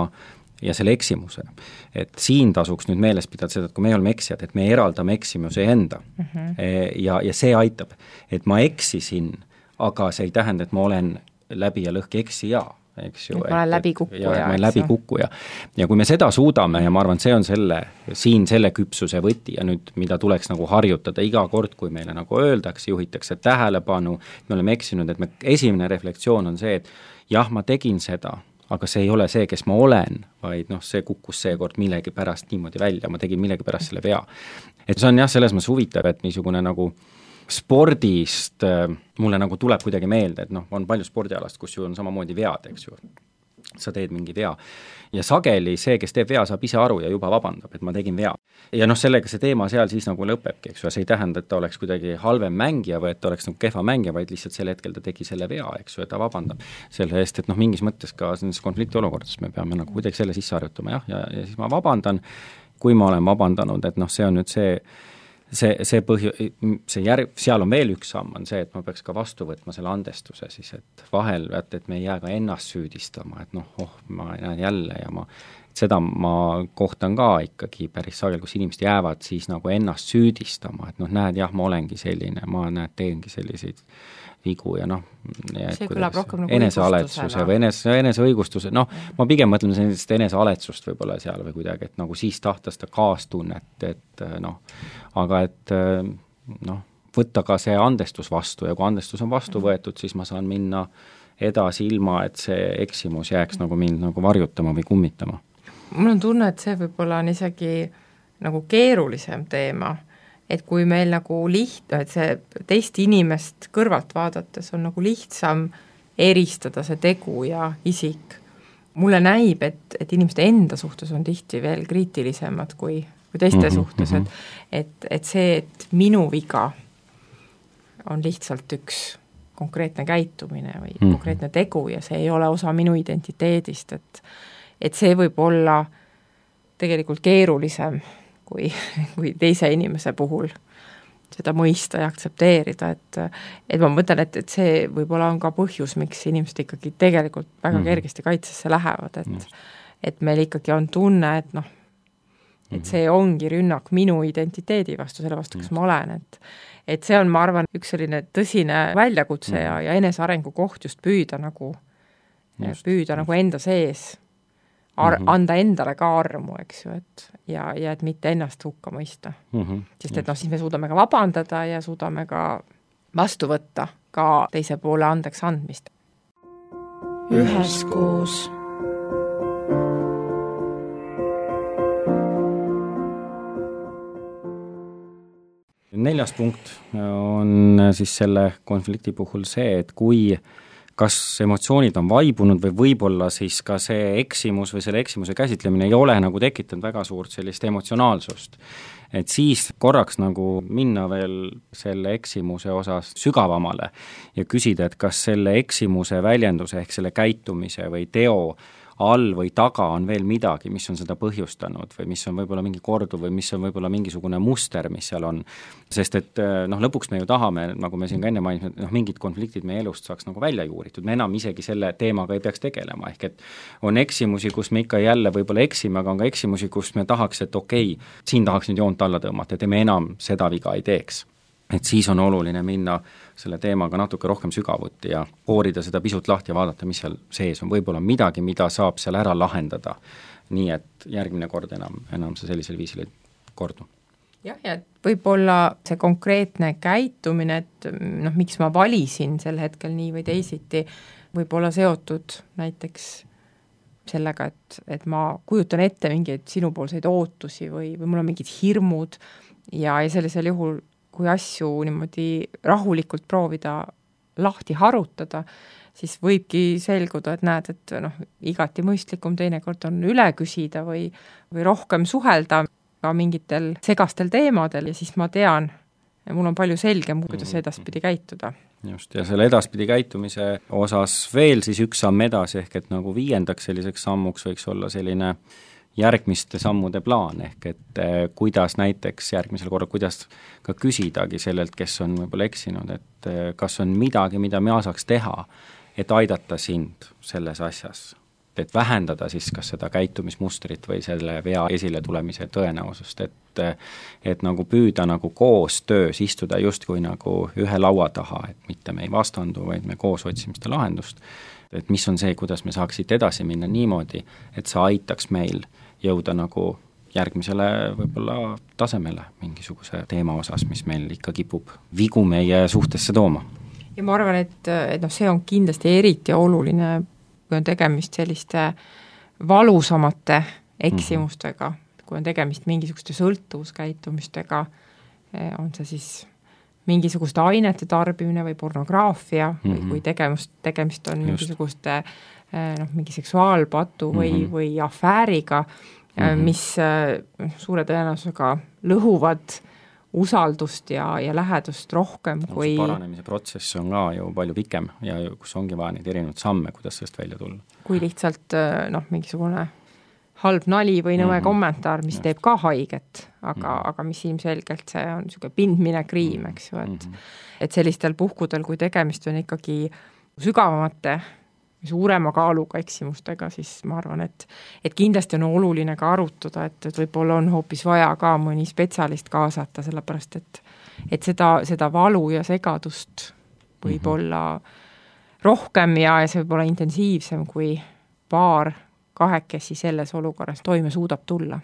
ja selle eksimuse. Et siin tasuks nüüd meeles pidada seda, et kui me oleme eksijad, et me eraldame eksimuse enda mm -hmm. ja, ja see aitab, et ma eksisin, aga see ei tähenda, et ma olen läbi ja lõhki eksija, eks ju. Et ma olen läbi kukkuja. Ja, ma olen läbi kukkuja. Ja kui me seda suudame ja ma arvan, see on selle, siin selle küpsuse võti ja nüüd, mida tuleks nagu harjutada iga kord, kui meile nagu öeldakse, juhitakse tähelepanu, me oleme eksinud, et me, esimene reflektsioon on see, et jah, ma tegin seda, aga see ei ole see, kes ma olen, vaid noh, see kukkus seekord millegi pärast niimoodi välja, ma tegin millegi pärast selle vea. Et see on jah, selles mõttes huvitav, et niisugune nagu spordist mulle nagu tuleb kuidagi meelde, et noh, on palju spordialast, kus ju on samamoodi vead, eks ju. Sa teed mingi vea. Ja sageli see, kes teeb vea, saab ise aru ja juba vabandab, et ma tegin vea. Ja noh, sellega see teema seal siis nagu lõpebki, eks ju, see ei tähenda, et ta oleks kuidagi halvem mängija või et ta oleks nagu kehva mängija, vaid lihtsalt sel hetkel ta tegi selle vea, eks ju, et ta vabandab selle eest, et noh, mingis mõttes ka nendes konflikti olukordades me peame nagu kuidagi selle sisse harjutama, jah, ja, ja siis ma vabandan, kui ma olen vabandanud, et noh, see on nüüd see see, see põhju, see järg, seal on veel üks samm, on see, et ma peaks ka vastu võtma selle andestuse siis, et vahel, et, et me ei jää ka ennast süüdistama, et noh, oh, ma näen jälle ja ma, seda ma kohtan ka ikkagi päris sagel, kus inimesed jäävad siis nagu ennast süüdistama, et noh, näed, jah, ma olengi selline, ma näed, teengi selliseid vigu ja noh, see kõlab rohkem nagu enesealetsuse või enese, eneseõigustuse, noh, ma pigem mõtlen sellist enesealetsust võib-olla seal või kuidagi, et nagu siis tahta seda kaastunnet, et noh, aga et noh, võtta ka see andestus vastu ja kui andestus on vastu võetud, siis ma saan minna edasi ilma, et see eksimus jääks nagu mind nagu varjutama või kummitama. Mul on tunne, et see võib-olla on isegi nagu keerulisem teema, et kui meil nagu liht-, et see teist inimest kõrvalt vaadates on nagu lihtsam eristada see tegu ja isik. Mulle näib, et, et inimeste enda suhtes on tihti veel kriitilisemad kui, kui teiste mm-hmm, suhtes, et, et, et see, et minu viga on lihtsalt üks konkreetne käitumine või mm-hmm. konkreetne tegu ja see ei ole osa minu identiteedist, et, et see võib olla tegelikult keerulisem kui, kui teise inimese puhul seda mõista ja aktsepteerida, et, et ma mõtlen, et, et see võib-olla on ka põhjus, miks inimesed ikkagi tegelikult väga mm-hmm. kergesti kaitsesse lähevad, et, mm-hmm. et meil ikkagi on tunne, et noh, et see ongi rünnak minu identiteedi vastu, selle vastu, kes ma olen, et et see on, ma arvan, üks selline tõsine väljakutse ja, ja enesearengu koht just püüda nagu, just, püüda just. nagu enda sees, ar- mm-hmm. anda endale ka armu, eks ju, et ja, ja et mitte ennast hukka mõista. Mm-hmm. Sest et noh, siis me suudame ka vabandada ja suudame ka vastu võtta ka teise poole andeks andmist. Üheskoos. Neljas punkt on siis selle konflikti puhul see, et kui kas emotsioonid on vaibunud või võib-olla siis ka see eksimus või selle eksimuse käsitlemine ei ole nagu tekitanud väga suurt sellist emotsionaalsust. Et siis korraks nagu minna veel selle eksimuse osas sügavamale ja küsida, et kas selle eksimuse väljenduse ehk selle käitumise või teo all või taga on veel midagi, mis on seda põhjustanud või mis on võib-olla mingi korduv või mis on võib-olla mingisugune muster, mis seal on. Sest et noh, lõpuks me ju tahame, nagu me siin ka enne mainisime, et noh, mingid konfliktid meie elust saaks nagu välja juuritud, me enam isegi selle teemaga ei peaks tegelema, ehk et on eksimusi, kus me ikka jälle võib-olla eksime, aga on ka eksimusi, kus me tahaks, et okei, siin tahaks nüüd joont alla tõmmata, et me enam seda viga ei teeks. Et siis on oluline minna selle teemaga natuke rohkem sügavuti ja koorida seda pisut lahti ja vaadata, mis seal sees on, võib-olla midagi, mida saab seal ära lahendada, nii et järgmine kord enam, enam see sellisel viisil ei kordu. Jah, ja võib-olla see konkreetne käitumine, et noh, miks ma valisin sel hetkel nii või teisiti, võib-olla seotud näiteks sellega, et, et ma kujutan ette mingeid sinupoolseid ootusi või, või mul on mingid hirmud ja, ja sellisel juhul, kui asju niimoodi rahulikult proovida lahti harutada, siis võibki selguda, et näed, et noh, igati mõistlikum teinekord on üle küsida või, või rohkem suhelda ka mingitel segastel teemadel ja siis ma tean, ja mul on palju selgem, kuidas edaspidi käituda. Just, ja selle edaspidi käitumise osas veel siis üks samm edasi, ehk et nagu viiendaks selliseks sammuks võiks olla selline järgmiste sammude plaan, ehk et eh, kuidas näiteks järgmisel korral, kuidas ka küsidagi sellelt, kes on võib-olla eksinud, et eh, kas on midagi, mida mina saaks teha, et aidata sind selles asjas, et vähendada siis kas seda käitumismustrit või selle vea esile tulemise tõenäosust, et, et nagu püüda nagu koos töös istuda justkui nagu ühe laua taha, et mitte me ei vastandu, vaid me koos otsime seda lahendust, et mis on see, kuidas me saaksid edasi minna niimoodi, et see aitaks meil jõuda nagu järgmisele võib-olla tasemele mingisuguse teema osas, mis meil ikka kipub vigu meie suhtesse tooma. Ja ma arvan, et, et noh, see on kindlasti eriti oluline, kui on tegemist selliste valusamate eksimustega, mm-hmm. kui on tegemist mingisuguste sõltuvuskäitumistega, on see siis mingisuguste ainete tarbimine või pornograafia mm-hmm. või kui tegemist, tegemist on Just. mingisuguste noh, mingi seksuaalpatu või, mm-hmm. või afääriga, mm-hmm. mis suure tõenäosusega lõhuvad usaldust ja, ja lähedust rohkem no, kui paranemise protsess on ka ju palju pikem ja kus ongi vaja neid erinevaid samme, kuidas sellest välja tulla. Kui lihtsalt noh, mingisugune halb nali või nõme mm-hmm. kommentaar, mis Just. teeb ka haiget, aga, mm-hmm. aga mis ilmselgelt see on niisugune pindmine kriim, eks ju, et, mm-hmm. et sellistel puhkudel, kui tegemist on ikkagi sügavamate suurema kaaluga eksimustega, siis ma arvan, et, et kindlasti on oluline ka arutada, et, et võib-olla on hoopis vaja ka mõni spetsialist kaasata, sellepärast et, et seda, seda valu ja segadust võib olla rohkem ja, ja see võib olla intensiivsem, kui paar kahekesi selles olukorras toime suudab tulla.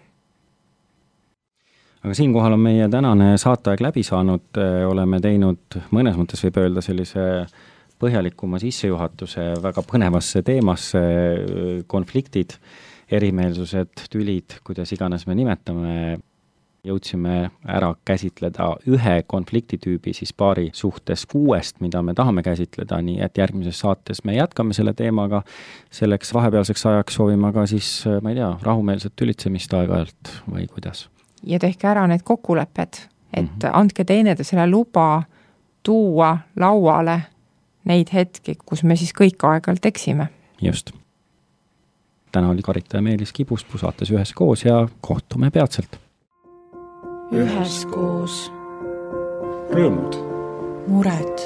Aga siinkohal on meie tänane saateaeg läbi saanud, oleme teinud mõnes mõttes võib öelda sellise põhjalikuma sissejuhatuse väga põnevasse teemasse, konfliktid, erimeelsused, tülid, kuidas iganes me nimetame, jõudsime ära käsitleda ühe konfliktitüübi siis paari suhtes kuuest, mida me tahame käsitleda, nii et järgmises saates me jätkame selle teemaga, selleks vahepealseks ajaks soovime ka siis, ma ei tea, rahumeelset tülitsemist aeg-ajalt või kuidas. Ja tehke ära need kokkulepped, et mm-hmm. andke teineteisele luba tuua lauale neid hetki, kus me siis kõik aeg-ajalt eksime. Just. Täna oli Karita ja Meelis Kibuspuu saates üheskoos ja kohtume peatselt. Üheskoos. Rõõmud. Mured.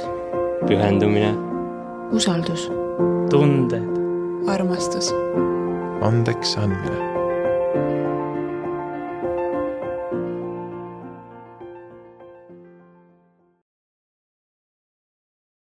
Pühendumine. Usaldus. Tunded. Armastus. Andeks andmine.